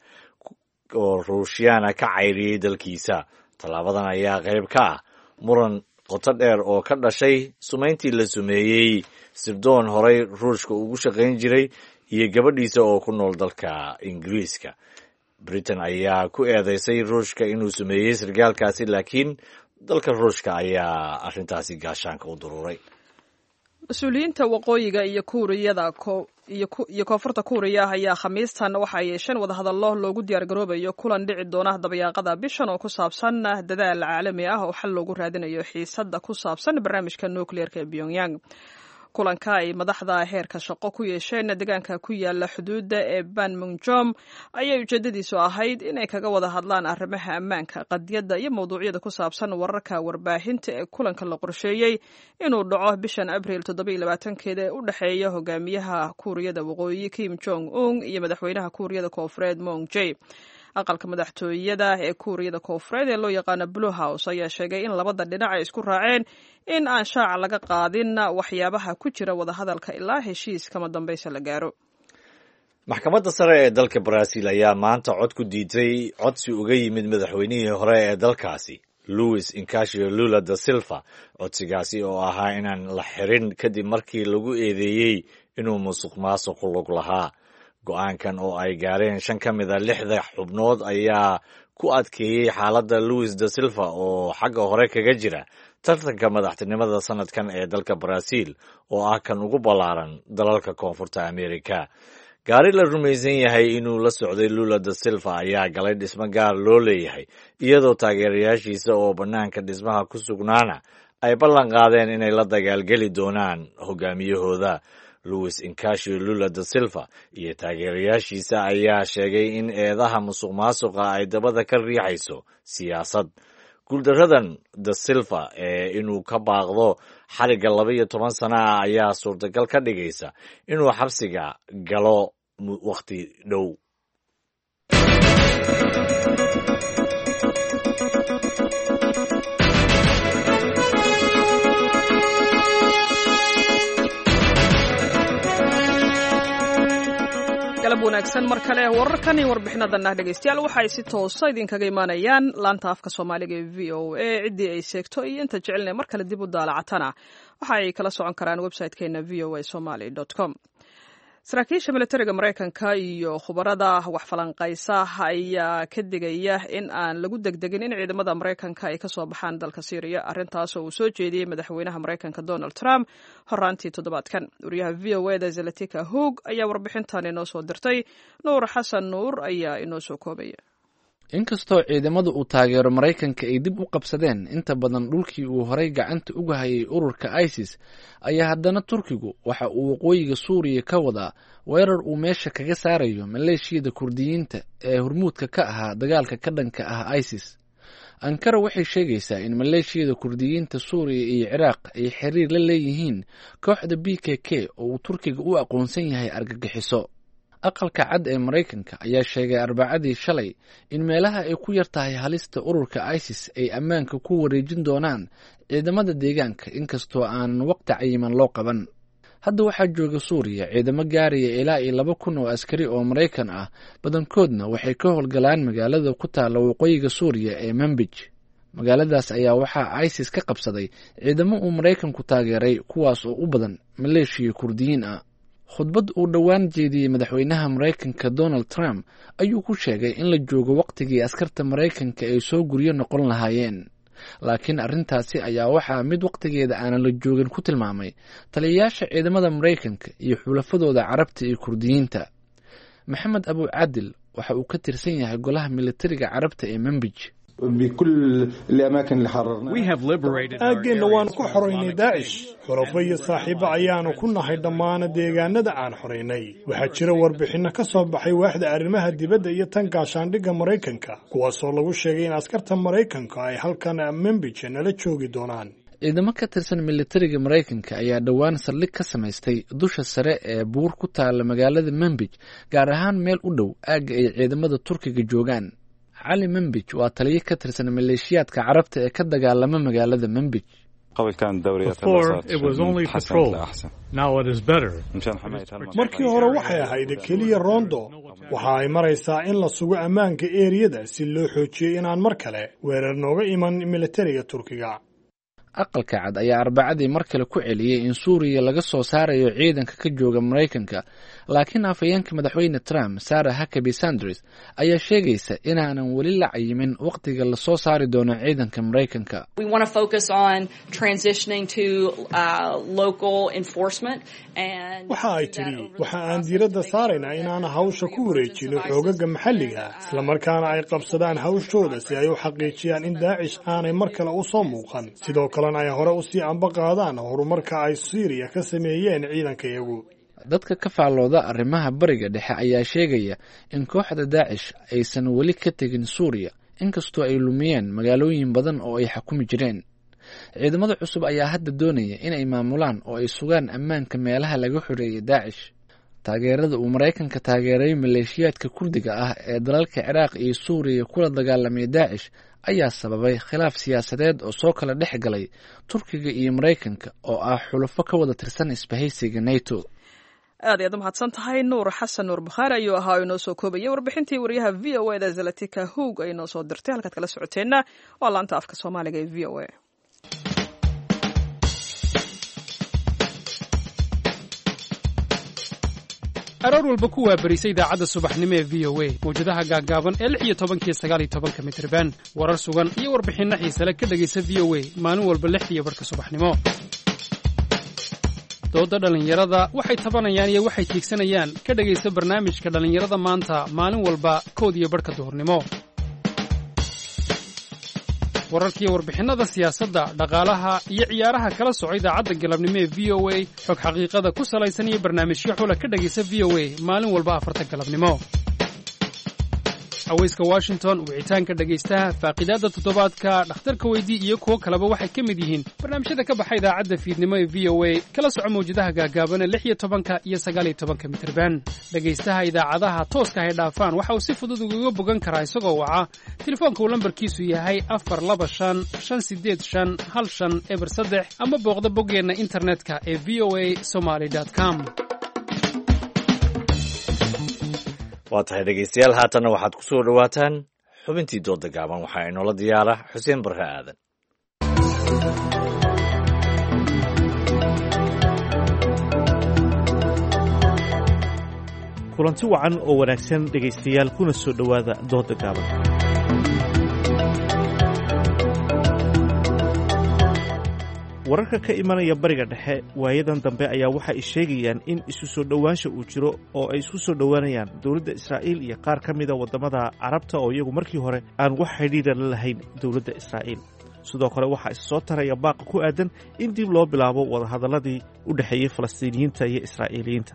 oo Ruushyaana ka cayriyey dalkiisa. Tallaabadan ayaa qayb ka ah muran qoto dheer oo ka dhashay sumayntii la sumeeyey sirdoon horey Ruushka ugu shaqayn jiray iyo gabadhiisa oo ku nool dalka Ingiriiska. Britain ayaa ku eedeysay Ruushka inuu sameeyey sargaalkaasi, laakiin dalka Ruushka ayaa arrintaasi gaashaanka u duruuray. Mas-uuliyiinta waqooyiga iyo Kuuriyada iyo Koonfurta Kuuriya ayaa Khamiistan waxa ay yeesheen wadahadallo loogu diyaargaroobayo kulan dhici doona dabayaaqada bishan oo ku saabsan dadaal caalami ah oo xal loogu raadinayo xiisadda ku saabsan barnaamijka nukliyeerka ee Pyongyang. Kulanka ay madaxda heerka shaqo ku yeesheen deegaanka ku yaala xuduudda ee Banmunjom ayay ujeedadiisu ahayd inay kaga wada hadlaan arrimaha ammaanka, qadiyadda iyo mowduucyada ku saabsan wararka warbaahinta ee kulanka la qorsheeyey inuu dhaco bishan Abriil 27-keeda ee u dhexeeya hogaamiyaha Kuuriyada Waqooyi Kim Jong Un iyo madaxweynaha Kuuriyada Koonfureed Moon Jae. Aqalka madaxtooyada ee Kuuriyada Koonfureed ee loo yaqaano Blue House ayaa sheegay in labada dhinac ay isku raaceen in aan shaaca laga qaadin waxyaabaha ku jira wadahadalka ilaa heshiis kama dambaysa la gaaro. Maxkamadda sare ee dalka Brazil ayaa maanta cod ku diiday codsi uga yimid madaxweynihii hore ee dalkaasi Luis Inacio Lula da Silva, codsigaasi oo ahaa inaan la xirin kadib markii lagu eedeeyey inuu musuq maasuq lug lahaa. Go-aankan oo ay gaareen shan ka mid a lixda xubnood ayaa ku adkeeyey xaaladda Luis da Silva oo xagga hore kaga jira tartanka madaxtinimada sanadkan ee dalka Brazil oo ah kan ugu ballaaran dalalka Koonfurta America. Gaari la rumaysan yahay inuu la socday Lula da Silva ayaa galay dhismo gaar loo leeyahay, iyadoo taageerayaashiisa oo bannaanka dhismaha ku sugnaana ay ballan qaadeen inay la dagaalgeli doonaan hogaamiyahooda. Luis Inacio Lula da Silva iyo taageerayaashiisa ayaa sheegay in eedaha musuq maasuqa ay dabada ka riixayso siyaasad. Guuldaradan da Silva ee inuu ka baaqdo xarigga 12 sano ah ayaa suurtagal ka dhigaysa inuu xabsiga galo wakhti dhow. Galab wanaagsan mar kale. Wararkan iyo warbixinadan ah, dhegeystayaal, waxaay si toosa idinkaga imaanayaan laanta afka Soomaaliga ee VOA. Ciddii ay seegto iyo inta jecelna mar kale dib u daalacatana waxa ay kala socon karaan website-keena voasomaly.com. Saraakiisha militariga Maraykanka iyo khubarada wax falanqaysa ayaa ka digaya in aan lagu degdegin in ciidamada Maraykanka ay kasoo baxaan dalka Syriya, arrintaas oo uu soo jeediyey madaxweynaha Maraykanka Donald Trump horaantii toddobaadkan. Wariyaha VOA da Zalatika Hoog ayaa warbixintan inoo soo dirtay. Nuur Xasan Nuur ayaa inoo soo koobaya. Inkastoo ciidamada uu taageero Maraykanka ay dib u qabsadeen inta badan dhulkii uu horay gacanta uga hayay ururka ISIS, ayaa haddana Turkigu waxa uu waqooyiga Suuriya ka wadaa weerar uu meesha kaga saarayo maleeshiyada Kurdiyiinta ee hormuudka ka ahaa dagaalka ka dhanka ah ISIS. Ankara waxay sheegaysaa in maleeshiyada Kurdiyiinta Suuriya iyo Ciraaq ay xiriir la leeyihiin kooxda PKK oo uu Turkiga u aqoonsan yahay argagixiso. Aqalka Cad ee Maraykanka ayaa sheegay Arbacadii shalay in meelaha ay ku yar tahay halista ururka ISIS ay ammaanka ku wareejin doonaan ciidamada deegaanka, inkastoo aanan waqti cayiman loo qaban. Hadda waxaa jooga Suuriya ciidamo gaaraya ilaa iyo 2000 oo askari oo Maraykan ah, badankoodna waxay ka howlgalaan magaalada ku taalla waqooyiga Suuriya ee Manbij. Magaaladaas ayaa waxaa ISIS ka qabsaday ciidamo uu Maraykanku taageeray, kuwaas oo u badan maleeshiya Kurdiyiin ah. Khudbad uu dhowaan jeediyey madaxweynaha Maraykanka Donald Trump ayuu ku sheegay in la joogo wakhtigii askarta Maraykanka ay soo guryo noqon lahaayeen, laakiin arrintaasi ayaa waxaa mid wakhtigeeda aanan la joogin ku tilmaamay taliyayaasha ciidamada Maraykanka iyo xulafadooda Carabta iyo Kurdiyiinta. Maxamed Abucadil waxa uu ka tirsan yahay golaha militariga Carabta ee Membij. Aaggeenna waannu ku xoraynay Daacish. Xulafo iyo saaxiibo ayaannu ku nahay dhammaana deegaanada aan xoraynay. Waxaa jira warbixinno ka soo baxay waaxda arrimaha dibadda iyo tan gaashaandhigga Maraykanka, kuwaasoo lagu sheegay in askarta Maraykanka ay halkan Membij nala joogi doonaan. Ciidamo ka tirsan militariga Maraykanka ayaa dhowaan saldhig ka samaystay dusha sare ee buur ku taala magaalada Membij, gaar ahaan meel u dhow aagga ay ciidamada Turkiga joogaan. Cali Membij waa taliyo ka tirsan maleeshiyaadka Carabta ee ka dagaalama magaalada Membij. Markii hore waxay ahayd keliya roondo. Waxa ay maraysaa in la sugo ammaanka eeriyada si loo xoojiyo inaan mar kale weerar nooga iman militariga Turkiga. Aqalka Cad ayaa Arbacadii mar kale ku celiyey in Suuriya laga soo saarayo ciidanka ka jooga Maraykanka, laakiin afhayeenka madaxweyne Trump, Sarah Huckabee Sanders, ayaa sheegaysa inaanan weli la cayimin wakhtiga lasoo saari doono ciidanka Maraykanka. Waxa ay tidhi, waxa aan diiradda saaraynaa inaan hawsha ku wareejino xoogaga maxalliga, islamarkaana ay qabsadaan hawshooda si ay u xaqiijiyaan in Daacish aanay mar kale u soo muuqan, sidoo kalena ay hore usii amba qaadaan horumarka ay Siiriya ka sameeyeen ciidankayagu. Dadka ka faallooda arrimaha Bariga Dhexe ayaa sheegaya in kooxda Daacish aysan weli ka tegin Suuriya, inkastoo ay lumiyeen magaalooyin badan oo ay xakumi jireen. Ciidamada cusub ayaa hadda doonaya inay maamulaan oo ay sugaan ammaanka meelaha laga xoreeyay Daacish. Taageerada uu Maraykanka taageeray maleeshiyaadka Kurdiga ah ee dalalka Ciraaq iyo Suuriya kula dagaalamay Daacish ayaa sababay khilaaf siyaasadeed oo soo kala dhex galay Turkiga iyo Maraykanka oo ah xulufo ka wada tirsan isbahaysiga NATO. Aad ayaad u mahadsan tahay. Nuur Xasan Nuur Bukhaari ayuu ahaa oo inoo soo koobayay warbixintii wariyaha V O E da Zalatika Hoog ay inoo soo dirtay. Halkaad kala socoteenna waa laanta afka Soomaaliga ee V O A. Aroor walba ku waabarisa idaacadda subaxnimo ee V O A, mawjadaha gaaggaaban ee 16-ka iyo 19-ka mitriban, warar sugan iyo warbixinno xiisale ka dhegaysa V O A maalin walba 6:30 subaxnimo. Doodda dhallinyarada, waxay tabanayaan iyo waxay tiigsanayaan, ka dhegaysa barnaamijka Dhallinyarada Maanta maalin walba 1:30 duhurnimo. Wararkiiyo warbixinnada siyaasadda, dhaqaalaha iyo ciyaaraha kala soco idaacadda galabnimo ee V O A. Xog xaqiiqada ku salaysan iyo barnaamijyo xula ka dhegaysa V O A maalin walba 4-ta galabnimo. Cawayska Washington, wicitaanka dhegaystaha, faaqidaadda toddobaadka, dhakhtarka weydii iyo kuwo kaleba waxay ka mid yihiin barnaamijyada ka baxa idaacadda fiidnimo ee V O A. Kala soco mawjadaha gaagaabana 16-ka iyo 19-ka mitirban. Dhegaystaha idaacadaha tooska hay dhaafaan waxa uu si fudud ugaga bogan karaa isagoo waca telefoonka uu lambarkiisu yahay 425 585 1503, ama booqda boggeenna internetka ee v o a somaly com. Waa tahay dhegeystayaal, haatanna waxaad ku soo dhowaataan xubintii dooda gaaban. Waxaa inoola diyaara Xuseen Barre Aadan. Kulanti wacan oo wanaagsan dhegaystayaal, kuna soo dhowaada dooda gaaban. Wararka ka imanaya Bariga Dhexe waayadan dambe ayaa waxa ay sheegayaan in isu soo dhowaansha uu jiro oo ay isku soo dhowaanayaan dowladda Israa'iil iyo qaar ka mida waddamada Carabta oo iyagu markii hore aan wax xidhiidha la lahayn dowladda Israa'iil. Sidoo kale waxaa is soo taraya baaqa ku aadan in dib loo bilaabo wadahadalladii u dhexeeyey Falastiiniyiinta iyo Israa'iiliyiinta.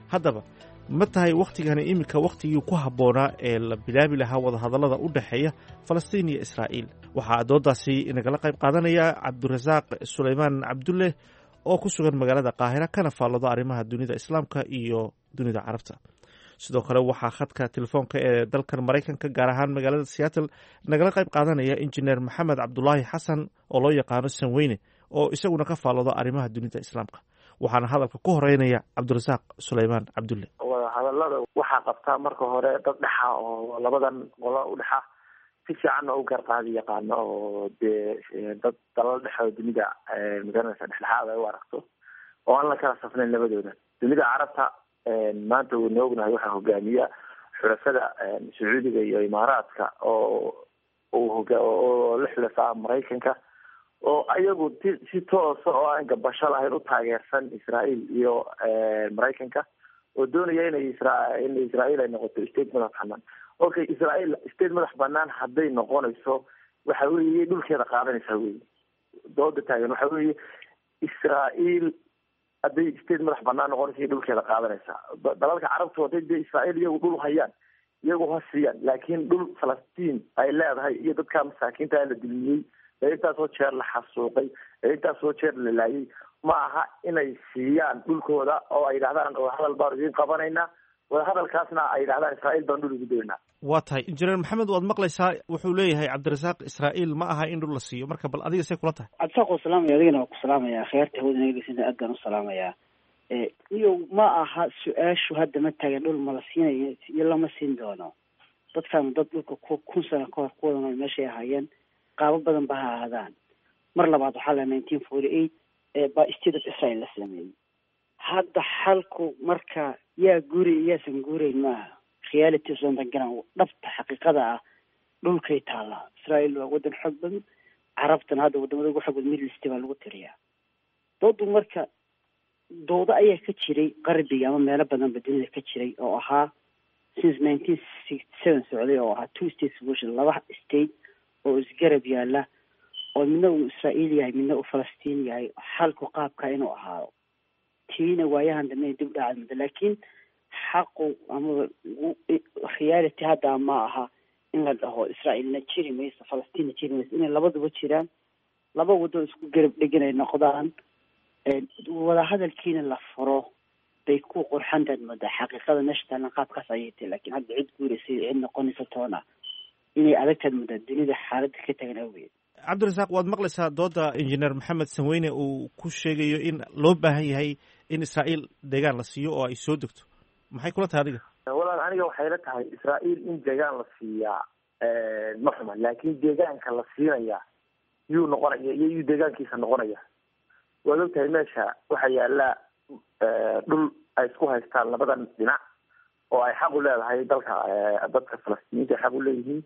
Haddaba ma tahay wakhtigani iminka wakhtigii ku habboonaa ee la bilaabi lahaa wadahadallada u dhexeeya Falastiin iyo Israa'iil? Waxaa doodaasi nagala qayb qaadanaya Cabdirasaaq Sulaymaan Cabdulle oo ku sugan magaalada Qaahira kana faallado arrimaha dunida Islaamka iyo dunida Carabta. Sidoo kale waxaa khadka telefoonka ee dalkan Maraykanka, gaar ahaan magaalada Seattle, nagala qayb qaadanaya Injineer Maxamed Cabdulaahi Xasan oo loo yaqaano Sanweyne oo isaguna ka faallado arrimaha dunida Islaamka. Waxaana hadalka ku horeynaya Cabdirasaaq Sulaymaan Cabdulle. Wadahadalada waxaa qabtaa marka hore dad dhexa oo labadan qolo udhexa si fiicanna u garqaadi yaqaano oo dee dad dalal dhexoo dunida magaranaysa dhexdhexaad ay u aragto. oo aan la kala safnayn labadooda. Dunida Carabta maanta waynu ognahay waxaa hogaamiya xulafada Sacuudiga iyo Imaaraadka oo oo la xulafaa Maraykanka, oo ayagu si toosa oo aan gabasho lahayn u taageersan Israael iyo Maraykanka, oo doonaya inay in Israael ay noqoto state madax banaan. Okay, Israael state madax banaan hadday noqonayso, waxa weeye dhulkeeda qaadanaysaa wey dooda taagan. Waxa weeye Israael hadday state madax banaan noqonaysa, dhulkeeda qaadanaysaa. Dalalka Carabtu hadday dee Israael iyagu dhul hayaan, iyagu ha siiyaan, laakiin dhul Falastiin ay leedahay iyo dadka masaakiinta la dulmiyey ee intaasoo jeer la xasuuqay ee intaasoo jeer la laayay, ma aha inay siiyaan dhulkooda oo ay yidhahdaan wadahadal baanu idiin qabanaynaa, wadahadalkaasna ay yidhahdaan Israael baan dhul ugu doonaa. Waa tahay, Injineer Maxamed, waad maqlaysaa wuxuu leeyahay Cabdirasaaq, Israa'iil ma aha in dhul la siiyo. Marka bal adiga see kula tahay? Cabdirasaaq waa salaamaya, adigana waa ku salaamaya, akhyaarta hawada naga geysanta aad baan u salaamayaa. Iyo ma aha su-aashu hadda ma taagan dhul ma la siinayo iyo lama siin doono. Dadkan dad dhulka 1000 sano kahor ku wada nool meeshay ahaayeen, qaabo badan ba ha ahaadaan. Mar labaad waxaa la 1948 baa State of Israel la sameeyey. Hadda xalku marka yaa guuray iyaasan guurayn maaha, reality usan garan dhabta xaqiiqada ah dhulkay taallaa. Israel waa wadan xoog badan, Carabtana hadda wadamada ugu xoog badan Middle East baa lagu tiriyaa. Doodu marka doodo ayaa ka jiray qarbiga ama meelo badanba dunida ka jiray oo ahaa since 1967 socday, oo ahaa two state solution, laba state oo isgarab yaala, oo midna uu Israa'iil yahay, midna uu Falastiin yahay, xalku qaabka inuu ahaado. Tiina waayahan dambe dib dhacad muddo, laakiin xaqu amaba reality hadda ma aha in la dhaho Israa'iilna jiri mayso, Falastiinna jiri mayso. Inay labaduba jiraan, laba waddo isku garab dhegan ay noqdaan, wadahadalkiina la furo bay ku qurxantaad moodaa. Xaqiiqada meesha taalan qaabkaas ayay tahay, laakiin hadda cid guuraysa iyo cid noqonaysa toona inay adagtaad moodaa dunida xaaladda ka tagan awgeed. Cabdirasaaq, waad maqlaysaa dooda Injineer Maxamed Sanweyne uu ku sheegayo in loo baahan yahay in Israa'iil deegaan la siiyo oo ay soo degto. Maxay kula tahay adiga? Walaal, aniga waxay la tahay Israa'iil in deegaan la siiyaa ma xuma, laakiin deegaanka la siinayaa yuu noqonaya iyo yuu deegaankiisa noqonaya? Waad ogtahay meesha waxaa yaala dhul ay isku haystaan labadan dhinac oo ay xaq u leedahay dalka dadka Falastiiniinta ay xaq u leeyihiin.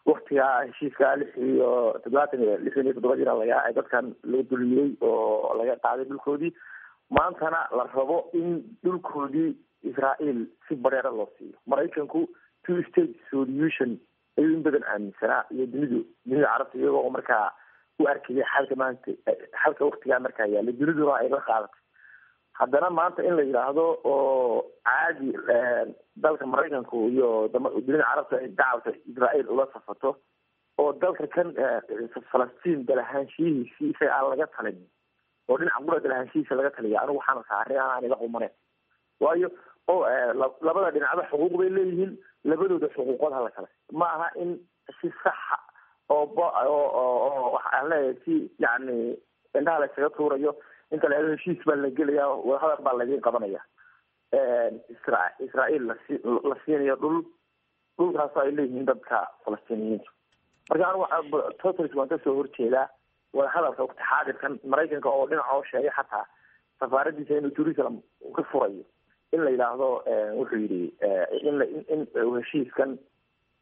Waktigaa heshiiska 76 iyo 67 jira laga dadkan laga dulmiyey oo laga qaaday dhulkoodii, maantana la rabo in dhulkoodii Israael si bareera loo siiyo. Maraykanku two state solution ayuu in badan aaminsanaa iyo dunida Carabta, iyagoo markaa u arkaya xalka maanta, xalka waktigaa markaa yaala, duniduna ay la qaadatay. Haddana maanta in la yidhaahdo oo caadi dalka Maraykanku iyo dunida Carabta ay dacalka Israael ula safato oo dalka kan Falastiin dalahaanshihiisii isaga aan laga talin oo dhinaca qura dalahaanshihiisa laga taliya, anigu waxaan arkaa arrin aan ila qumaneyn. Waayo oo labada dhinacba xuquuq bay leeyihiin, labadooda xuquuqood hala kale. Ma aha in si saxa oo oo waxaan leeyahay si yacni indhaha la isaga tuurayo inta la heshiis baa la gelaya, wadahadal baa laydin qabanaya, Israael la siinayo dhul, dhulkaasoo ay leeyihiin dadka Falastiiniyiintu. Marka anigu waxa totally waan kasoo horjeedaa wadahadalka waqti xaadirkan Maraykanka oo dhinac oo sheegay xataa safaaradiisa inuu Jerusalem ka furayo, in la yidhaahdo wuxuu yidhi in heshiiskan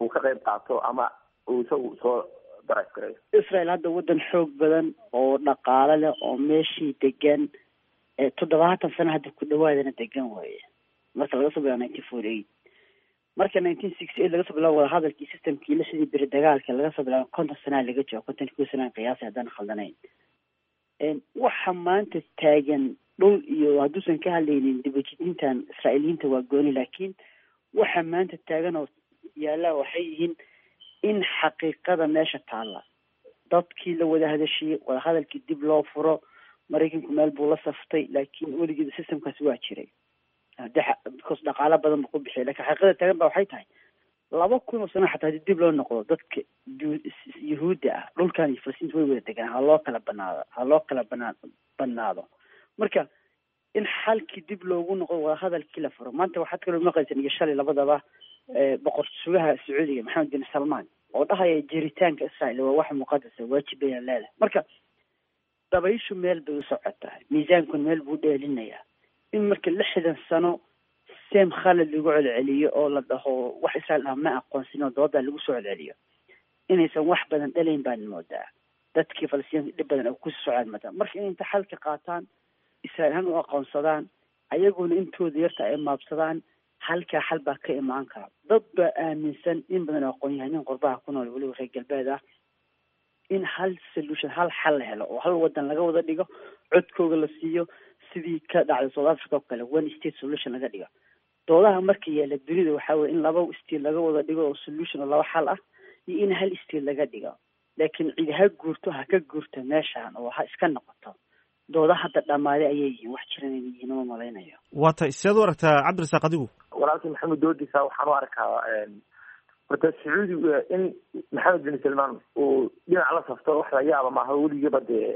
uu ka qayb qaato ama uu isagu soo drive gareeyo. Israel hadda waddan xoog badan oo dhaqaale leh oo meeshii degan 70 sano hadda ku dhawaadana degan waaye, marka laga soo bilaabo 1948, marka 1968 laga soo bilaabo wadahadalkii systemkii 60 beri dagaalka laga soo bilaabo, 50 sanaa laga joogo, 51 sanaa qiyaasay haddaan khaldanayn. Waxa maanta taagan dhul iyo hadduusan ka hadlaynin dibajidintan Israa'iiliyiinta waa gooni, laakiin waxa maanta taagan oo yaalla waxay yihiin in xaqiiqada meesha taalla dadkii la wada hadashiyey, wadahadalkii dib loo furo. Maraykanku meel buu la saftay, laakiin weligeeda systemkaasi waa jiray because dhaqaalo badan buu ku bixiyay. Lakin xaqiiqada taagan ba waxay tahay 2000 oo sano xataa hadii dib loo noqdo, dadka Yuhuudda ah dhulkan iyo Falastiinta way wada degaan, ha loo kala banaado, ha loo kala badnaado. Marka in xalkii dib loogu noqdo, wadahadalkii la furo. Maanta waxaad kaloo maqlaysan iyo shalay labadaba boqor sugaha Sacuudiga Maxamed bin Salmaan oo dhahaya jiritaanka Israel waa wax muqadasa, waajib bayna leedahay. Marka Dabayshu meel bay u socotaa, miisaankuna meel buu dheelinayaa. In marka 60 sano same khalad lagu celceliyo oo la dhaho wax Israel ah ma aqoonsin oo doodaa lagu soo celceliyo, inaysan wax badan dhalayn baan moodaa. Dadkii Falastiinka dhib badan oo ku socdaan moodaa. Marka in inta xalka qaataan, Israel ahaan u aqoonsadaan, ayaguna intooda yarta ay maabsadaan, halkaa xal baa ka imaan kara. Dad baa aaminsan in badan oo aqoon-yahanin qurbaha ku nool, weliba reer galbeed ah, in hal solution, hal xal la helo oo hal wadan laga wada dhigo, codkooga la siiyo, sidii ka dhacday South Africa oo kale, one state solution laga dhigo. Doodaha marka yaala dunida waxaa weye in laba state laga wada dhigo oo solution oo laba xal ah, iyo in hal state laga dhigo. Laakiin cid ha guurto, ha ka guurto meeshaan oo ha iska noqoto. Dooda hadda dhammaaday ayay yihiin, wax jiran inay yihiin uma malaynayo. Waa tahay. Sideed u aragtaa, Cabdirasaaq, adigu? Walaalkii Maxamed doodiisa waxaan u arkaa horta Sacuudi in Maxamed bin Salmaan uu dhinac la safto wax la yaaba maaha. Weligiiba dee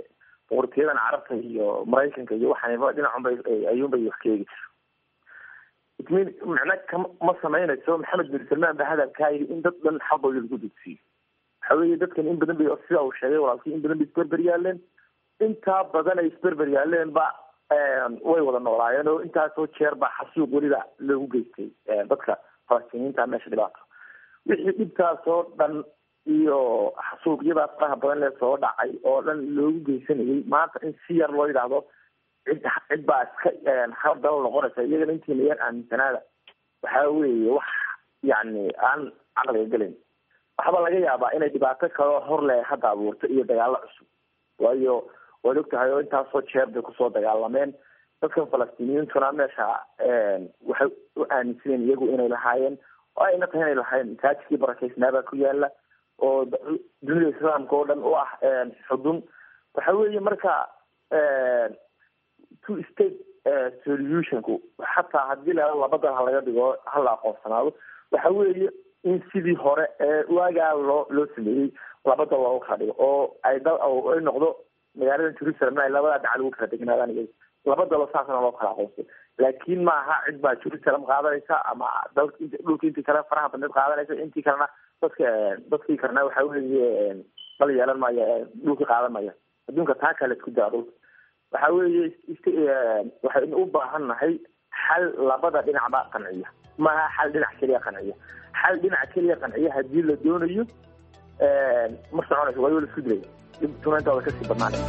boqortooyadan Carabta iyo Maraykanka iyo waxaan dhinacunbay ayuunbay wax ka eegi. It mean macna ma samaynayso Maxamed bin Salmaan ba hadalkaa yidhi in dad dhan xaqooda lagu dugsiyo. Waxa weeye dadkan in badan bay, sida uu sheegay walaalkii, in badan bay isberber yaaleen. Intaa badan ay isberber yaaleen ba way wada noolaayeen, oo intaasoo jeer baa xasuuq weliba loogu geystay dadka Falastiiniyiinta meesha dhibaato. Wixii dhibtaasoo dhan iyo xasuuqyadaa faraha badan lee soo dhacay oo dhan loogu geysanayay, maanta in si yar loo yidhaahdo cid baa iska hal dal noqonaysa, iyagana intiina yar aaminsanaada, waxaa weeye wax yacni aan caqliga gelayn. Waxba laga yaabaa inay dhibaato kaloo hor le hadda abuurto iyo dagaalo cusub, waayo waad ogtahay oo intaasoo jeer bay kusoo dagaalameen dadkan Falastiiniyiintuna. Meesha waxay u aaminsaneen iyagu inay lahaayeen, oo ayna tahay inay lahaayeen. Masaajidkii barakeysnaabaa ku yaala oo dunida Islaamka oo dhan u ah xudun. Waxa weeye marka two state solutionku, xataa haddii la laba dal ha laga dhigo, hala aqoonsanaado, waxa weeye in sidii hore ee waagaa loo sameeyey laba dal loogu kala dhigo, oo ay dal ay noqdo magaalada Jerusalem ay labada dhacal ugu kala degnaadaan iyagu, laba dalo saasna loo kala aqoonsado. Laakiin maaha cid baa Jerusalem qaadanaysa ama dal dhulka intii kale faraha badneed qaadanaysa, intii kalena dadka dadkii kalena waxa weeye dal yeelan maya, dhulkii qaadan maya. Adduunka taa kale isku daa dhulka. Waxa weeye waxaynu u baahan nahay xal labada dhinacba qanciya, maaha xal dhinac keliya qanciya. Xal dhinac keliya qanciya haddii la doonayo ma soconayso, waayo la isku dilaya, dhibtunaintooda kasii badnaanay.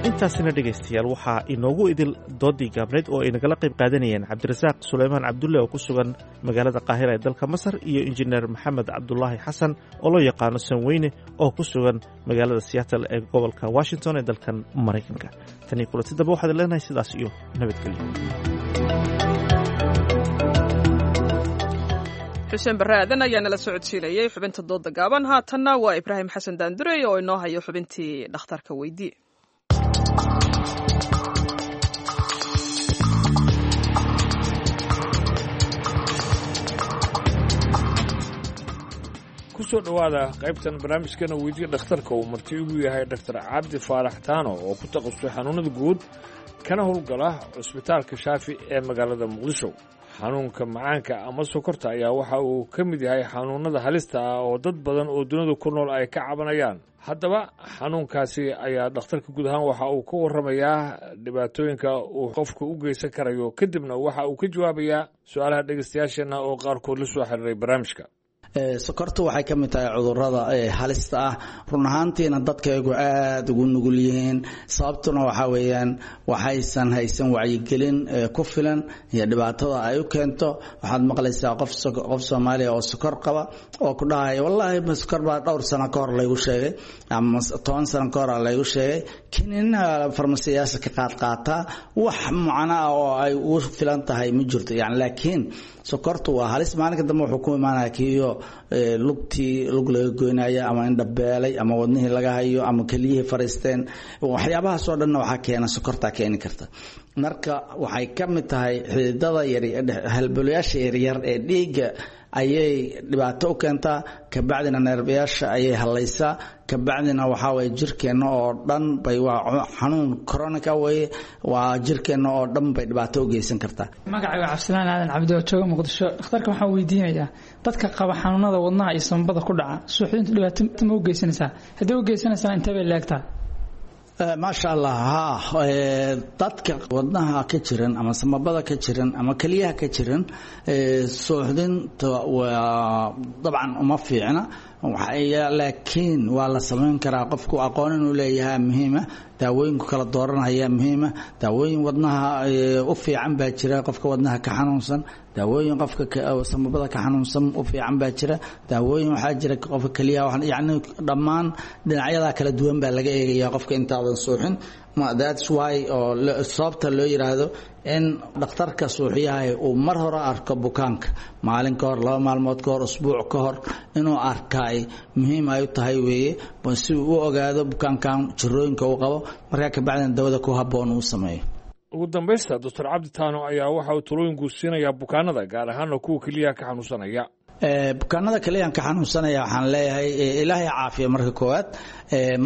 Intaasina dhegaystayaal waxaa inoogu idil doodii gaabneyd oo ay nagala qayb qaadanayeen Cabdirasaaq Suleymaan Cabdulle oo ku sugan magaalada Qaahira ee dalka Masar iyo Injineer Maxamed Cabdulaahi Xasan oo loo yaqaano Sanweyne oo ku sugan magaalada Seattle ee gobolka Washington ee dalkan Maraykanka. Tanii kulanti dambe waxaad leenahay sidaas iyo nabadgelyo. Xuseen Barre Aadan ayaa nala socodsiinayay xubinta dooda gaaban. Haatanna waa Ibraahim Xasan Daandurey oo inoo hayo xubintii dhakhtarka weydii. Kusoo dhowaada qaybtan barnaamijkana weydiya dhakhtarka uu marti ugu yahay Dhaktar Cabdi Faarax Taano oo ku takhasusay xanuunada guud kana howlgala Cusbitaalka Shaafi ee magaalada Muqdisho. Xanuunka macaanka ama sokorta ayaa waxa uu ka mid yahay xanuunada halista ah oo dad badan oo dunida ku nool ay ka cabanayaan. Haddaba xanuunkaasi ayaa dhakhtarka guud ahaan waxa uu ka warramayaa dhibaatooyinka uu qofka u geysan karayo, kadibna waxa uu ka jawaabayaa su-aalaha dhegeystayaasheenna oo qaarkood la soo xiriiray barnaamijka. Sokortu waxay ka mid tahay cudurrada halista ah, run ahaantiina dadkaygu aada ugu nugul yihiin. Sababtuna waxaa weeyaan waxaysan haysan wacyigelin ku filan iyo dhibaatada ay u keento. Waxaad maqlaysaa qof Soomaaliya oo sokor qaba oo ku dhahaya, "Wallaahi sokor baa dhowr sano ka hor laygu sheegay ama 10 sano ka hor laygu sheegay, kiniinaha farmasiyaasha ka qaadqaataa, wax macno ah oo ay ugu filan tahay ma jirto." Yani laakiin sokortu waa halis. Maalinka dambe wuxuu ku imaanaya kiyo lugtii lug laga goynaya ama indhabeelay ama wadnihii laga hayo ama keliyihii fariisteen. Waxyaabahaasoo dhanna waxaa keena sokortaa keeni karta. Marka waxay ka mid tahay xididada yar, halbolayaasha yaryar ee dhiigga ayay dhibaato u keentaa, kabacdina neerbayaasha ayay hallaysaa, kabacdina waxaa waye jirkeenna oo dhan bay, waa xanuun chronic-a weye, waa jirkeenna oo dhan bay dhibaato u geysan kartaa. Magacayga Cabdisalaan Aadan Cabdi oo jooga Muqdisho. Dhakhtarka waxaan weydiinayaa, dadka qaba xanuunada wadnaha iyo sambabada ku dhaca, suuxdintu dhibaato ma u geysanaysaa? Haddii u geysanaysana, intee bay leegtaa? Maasha Allah, haa, dadka wadnaha ka jiran ama samabada ka jiran ama keliyaha ka jiran, suuxdinta waa dabcan uma fiicna, laakiin waa la samayn karaa. Qofku aqoon inuu leeyahay muhiima, daawooyinku kala dooranaya muhiima. Daawooyin wadnaha u fiican baa jira qofka wadnaha ka xanuunsan, daawooyin qofka samabada ka xanuunsan u fiican baa jira, daawooyin waxaa jira qofka keliyaha, yacni dhammaan dhinacyadaa kala duwan baa laga eegaya qofka intaadan suuxin. That's why oo sababta loo yiraahdo in dhakhtarka suuxiyaha uu mar hore arko bukaanka, maalin ka hor, 2 maalmood ka hor, usbuuc ka hor inuu arkaay muhiim ay u tahay weeye, si uu u ogaado bukaankan jirooyinka uu qabo, markaa kabacdina dawada ku habboon uu sameeyo. Ugu dambaysta, Doctor Cabdi Taano ayaa waxa uu talooyin guud siinayaa bukaanada, gaar ahaana kuwa keliyaha ka xanuunsanaya. Bukaanada kaliyan ka xanuunsanaya waxaan leeyahay Ilaahay caafiya marka koowaad.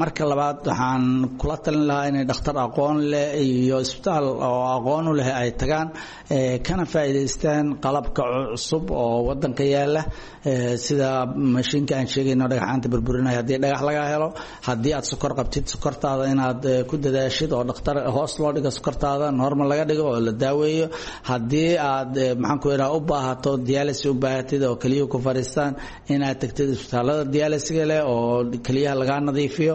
Marka labaad, waxaan kula talin lahaa inay dhakhtar aqoon leh iyo isbitaal oo aqoon u leh ay tagaan, kana faa'iidaystaan qalabka cusub oo wadanka yaala, sida mashiinka aan sheegayno dhagaxaanta burburinaya haddii dhagax laga helo. Haddii aad sokor qabtid, sokortaada inaad ku dadaashid oo dhakhtar hoos loo dhigo, sokortaada normal laga dhigo oo la daaweeyo. Haddii aad, maxaan ku idhaha, u baahato dialysis, u baahatid oo keliyuhu ku fariistaan, inaad tagtid isbitaalada dialysiga leh oo keliyaha lagaa nadiifiyo.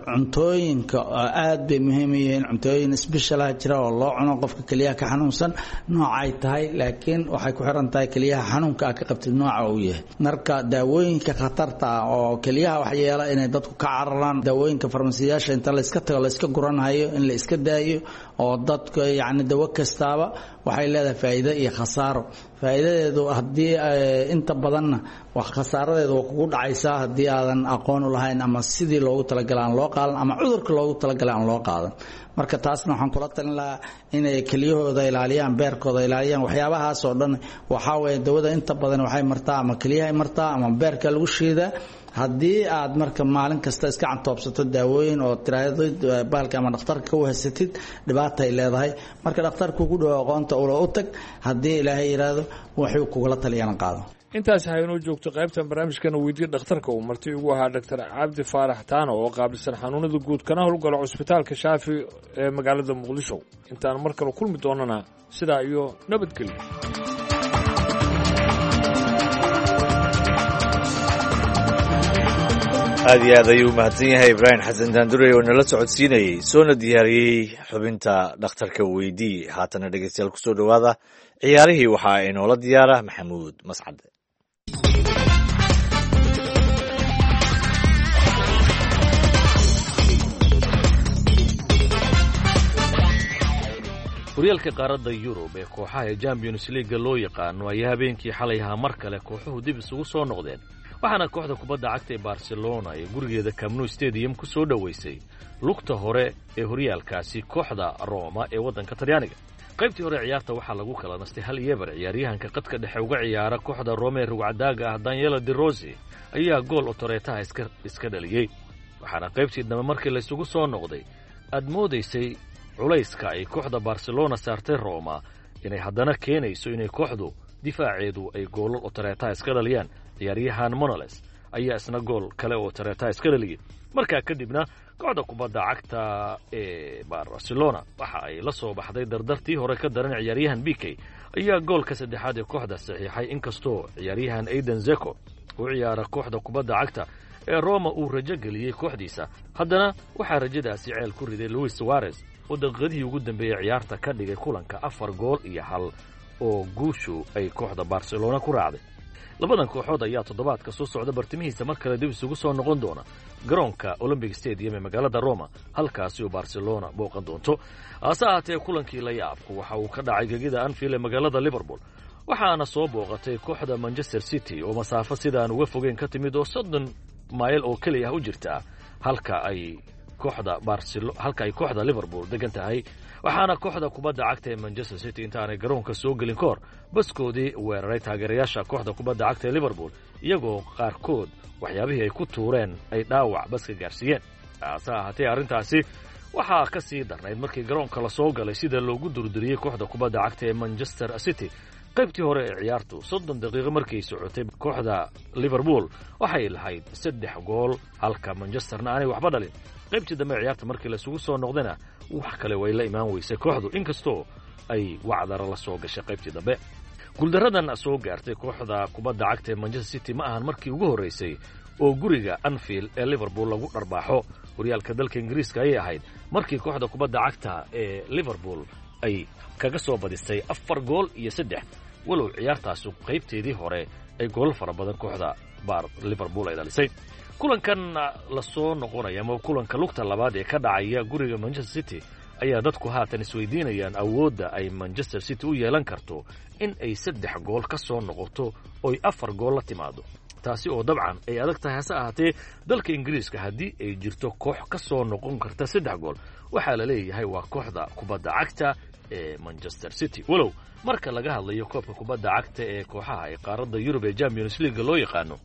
Cuntooyinka aad bay muhiim u yihiin, cuntooyin special-ah jira oo loo cuno qofka keliyaha ka xanuunsan noocay tahay, laakiin waxay ku xiran tahay keliyaha xanuunka aad ka qabtid nooca uu yahay. Marka daawooyinka khatarta ah oo keliyaha waxyeela inay dadku ka cararaan, daawooyinka farmasiyaasha inta la iska tago la iska guranhayo in la iska daayo, oo dadka yacni dawo kastaaba waxay leedahay faa'iido iyo khasaaro. Faa'iidadeedu haddii inta badanna wax khasaaradeedu waa kugu dhacaysaa haddii aadan aqoon u lahayn ama sidii loogu talagalay aan loo qaadan ama cudurka loogu talagalay aan loo qaadan. Marka taasna waxaan kula talin lahaa inay keliyahooda ilaaliyaan, beerkooda ilaaliyaan, waxyaabahaas oo dhan. Waxaa weeye dawada inta badan waxay martaa ama keliyahay martaa ama beerka lagu shiidaa. Haddii aad marka maalin kasta iska cantoobsato daawooyin oo tiraadid baalka ama dhakhtarka ka wahsatid, dhibaatay leedahay. Marka dhakhtarku ku dhow aqoonta ula u tag, haddii Ilaahay yidhaahdo wuxuu kugula taliyana qaado. Intaas haynoo joogto qaybtan barnaamijkana weydiye dhakhtarka, uu marti ugu ahaa Doctor Cabdi Faarax Taano oo qaabilsan xanuunada guud kana howlgala cusbitaalka Shaafi ee magaalada Muqdisho. Intaan mar kale kulmi doonana, sidaa iyo nabadgelyo. Aad iyo aad ayuu umahadsan yahay Ibraahim Xasan Daandurey oo nala socodsiinayey soona diyaariyey xubinta dhakhtarka weydii. Haatana dhegeystayaal, kusoo dhowaada ciyaarihii, waxaa inoola diyaara Maxamuud Mascade. Horyaalka qaaradda Yurub ee kooxaha ee Champions Leaga loo yaqaano ayaa habeenkii xalay ahaa mar kale kooxuhu dib isugu soo noqdeen, waxaana kooxda kubadda cagta ee Barcelona ee gurigeeda Camp Nou Stadium ku soo dhoweysay lugta hore ee horyaalkaasi kooxda Roma ee waddanka Talyaaniga. Qaybtii hore ciyaarta waxaa lagu kala nastay 1-0. Ciyaaryahanka qadka dhexe uga ciyaara kooxda Rome ee rugcadaaga ah Daniela De Rossi ayaa gool otoreetaha iska dhaliyey, waxaana qaybtii dambe markii laysugu soo noqday aad moodaysay culayska ay kooxda Barcelona saartay Roma inay haddana keenayso inay kooxdu difaaceedu ay goolal otoreetaha iska dhaliyaan. Ciyaaryahan Monoles ayaa isna gool kale oo otoreetaha iska dhaliyey. Markaa kadibna kooxda kubadda cagta ee Barcelona waxa ay la soo baxday dardartii hore ka daran. Ciyaaryahan Pique ayaa goolka saddexaad ee kooxda saxiixay, inkastoo ciyaaryahan Aiden Zeko u ciyaara kooxda kubadda cagta ee Roma uu rajo geliyey kooxdiisa, haddana waxaa rajadaasi ceel ku riday Luis Suarez oo daqiiqadihii ugu dambeeyey ciyaarta ka dhigay kulanka 4 gool iyo 1 oo guushu ay kooxda Barcelona ku raacday. Labadan kooxood ayaa toddobaadka soo socda bartimihiisa mar kale dib isugu soo noqon doona garoonka Olympic Stadium ee magaalada Roma, halkaasi oo Barcelona booqan doonto. Hase ahaatee, kulankii la yaabku waxa uu ka dhacay gegida Anfield ee magaalada Liverpool, waxaana soo booqatay kooxda Manchester City oo masaafo sidaan uga fogeyn ka timid oo 30 mayl oo keliya ah u jirta halka ay kooxda Barcelona, halka ay kooxda Liverpool degan tahay. Waxaana kooxda kubadda cagta ee Manchester City intaanay garoonka soo gelin kahor baskoodii weeraray taageerayaasha kooxda kubadda cagta ee Liverpool, iyagoo qaarkood waxyaabihii ay ku tuureen ay dhaawac baska gaarsiiyeen. Hase ahaatee arrintaasi waxaa ka sii darnayd markii garoonka la soo galay sida loogu durduriyey kooxda kubadda cagta ee Manchester City. Qaybtii hore ee ciyaartu 30 daqiiqo markay socotay, kooxda Liverpool waxay lahayd 3 gool, halka Manchesterna aanay waxba dhalin. Qaybtii dambe ee ciyaarta markii laisugu soo noqdayna wax kale way la imaan weysay kooxdu, inkastoo ay wacdara la soo gashay qaybtii dambe. Guuldaradan soo gaartay kooxda kubadda cagta ee Manchester City ma ahan markii ugu horreysay oo guriga Anfield ee Liverpool lagu dharbaaxo. Horyaalka dalka Ingiriiska ayay ahayd markii kooxda kubadda cagta ee Liverpool ay kaga soo badisay 4 gool iyo 3, walow ciyaartaasu qaybteedii hore ay goolal fara badan kooxda baar Liverpool ay dhalisay. Kulankan la soo noqonaya ama kulanka lugta labaad ee ka dhacaya guriga Manchester City ayaa dadku haatan isweydiinayaan awoodda ay Manchester City u yeelan karto in ay 3 gool ka soo noqoto oy 4 gool la timaado, taasi oo dabcan ay adag tahay. Hase ahaatee dalka Ingiriiska haddii ay jirto koox ka soo noqon karta 3 gool, waxaa la leeyahay waa kooxda kubadda cagta ee Manchester City. Walow marka laga hadlayo koobka kubadda cagta ee kooxaha ee qaaradda Yurub ee Champions League loo yaqaano,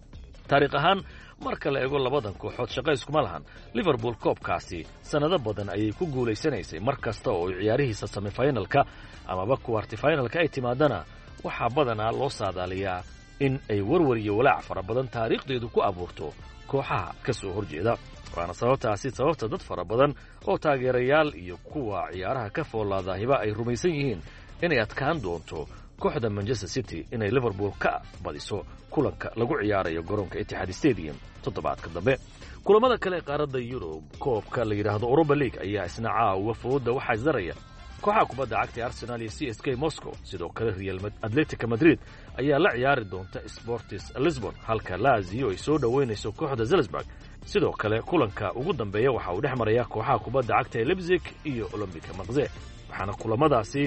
taariikh ahaan marka la eego labadan kooxood shaqo iskuma lahan. Liverpool koobkaasi sannado badan ayay ku guulaysanaysay. Mar kasta oo ciyaarihiisa semifinalka amaba kuwartifinalka ay timaadana, waxaa badanaa loo saadaaliyaa in ay warwar iyo walaac fara badan taariikhdeedu ku abuurto kooxaha ka soo horjeeda. Waana sababtaasi sababta dad fara badan oo taageerayaal iyo kuwa ciyaaraha ka foolaadaahiba ay rumaysan yihiin inay adkaan doonto kooxda Manchester City inay Liverpool ka badiso kulanka lagu ciyaarayo garoonka Etihad Stadium toddobaadka dambe. Kulamada kale ee qaaradda Yurub, koobka la yidhaahdo Europa League ayaa isna caawa fooda waxaa isdaraya kooxaha kubadda cagta ee Arsenal iyo CSK Moscow. Sidoo kale Real Atletica Madrid ayaa la ciyaari doonta Sportis Lisbon, halka Lazio ay soo dhoweynayso kooxda Salzburg. Sidoo kale kulanka ugu dambeeya waxa uu dhex marayaa kooxaha kubadda cagta ee Leipzig iyo Olympica Marseille, waxaana kulamadaasi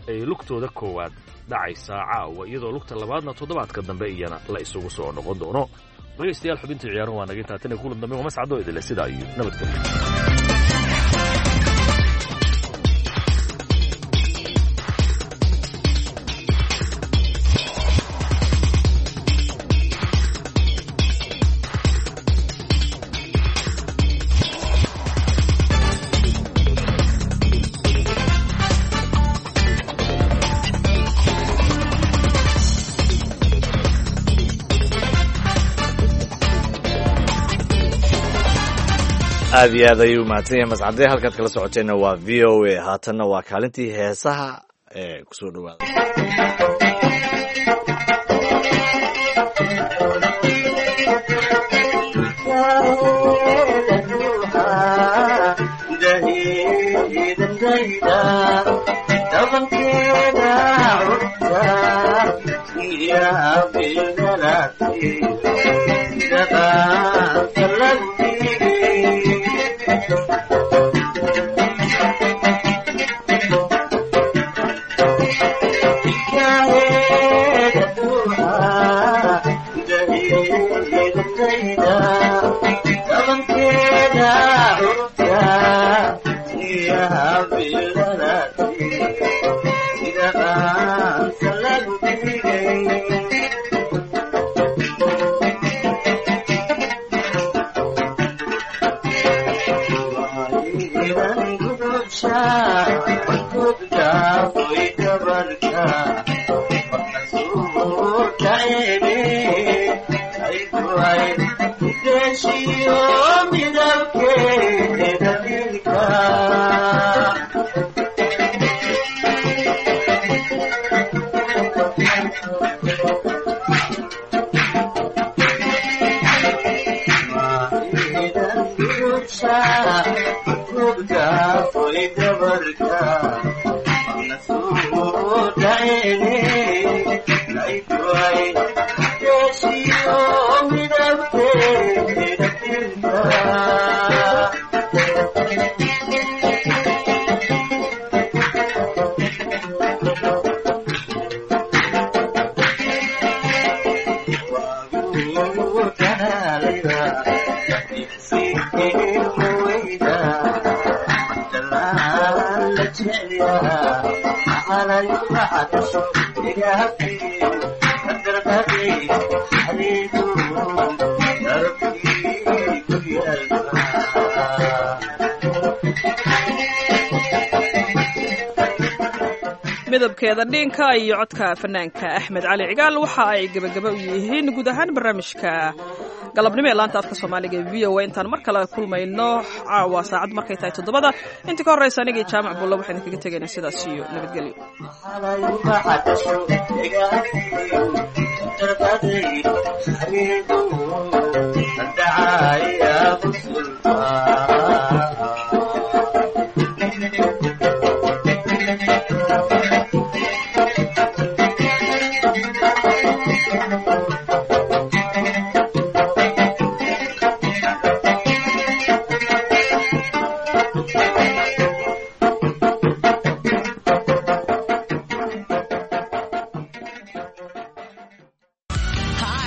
ay lugtooda koowaad dhacaysaa caawa, iyadoo lugta labaadna toddobaadka dambe iyana la isugu soo noqon doono. Dhegaystayaal, xubintii ciyaaruhu waa naga intaa. Tan iyo kulan dambe, waa mascadoo idile sidaa iyo nabadgelyo. Aad iyo aad ayuu mahadsan yahay Mascade. Halkaad kala socoteenna waa VOA. Haatanna waa kaalintii heesaha ee kusoo dhawaada. Midabkeeda dhiinka iyo codka fanaanka Axmed Cali Cigaal waxa ay gebagaba u yihiin guud ahaan barnaamijka galabnimo ee laanta afka Soomaaliga ee VOA. Intaan mar kale kulmayno caawa saacad markay tahay 7da, inta ka horreysa anigii Jaamac Bulla waxaan idinkaga tegaynaa sidaas iyo nabadgelyo.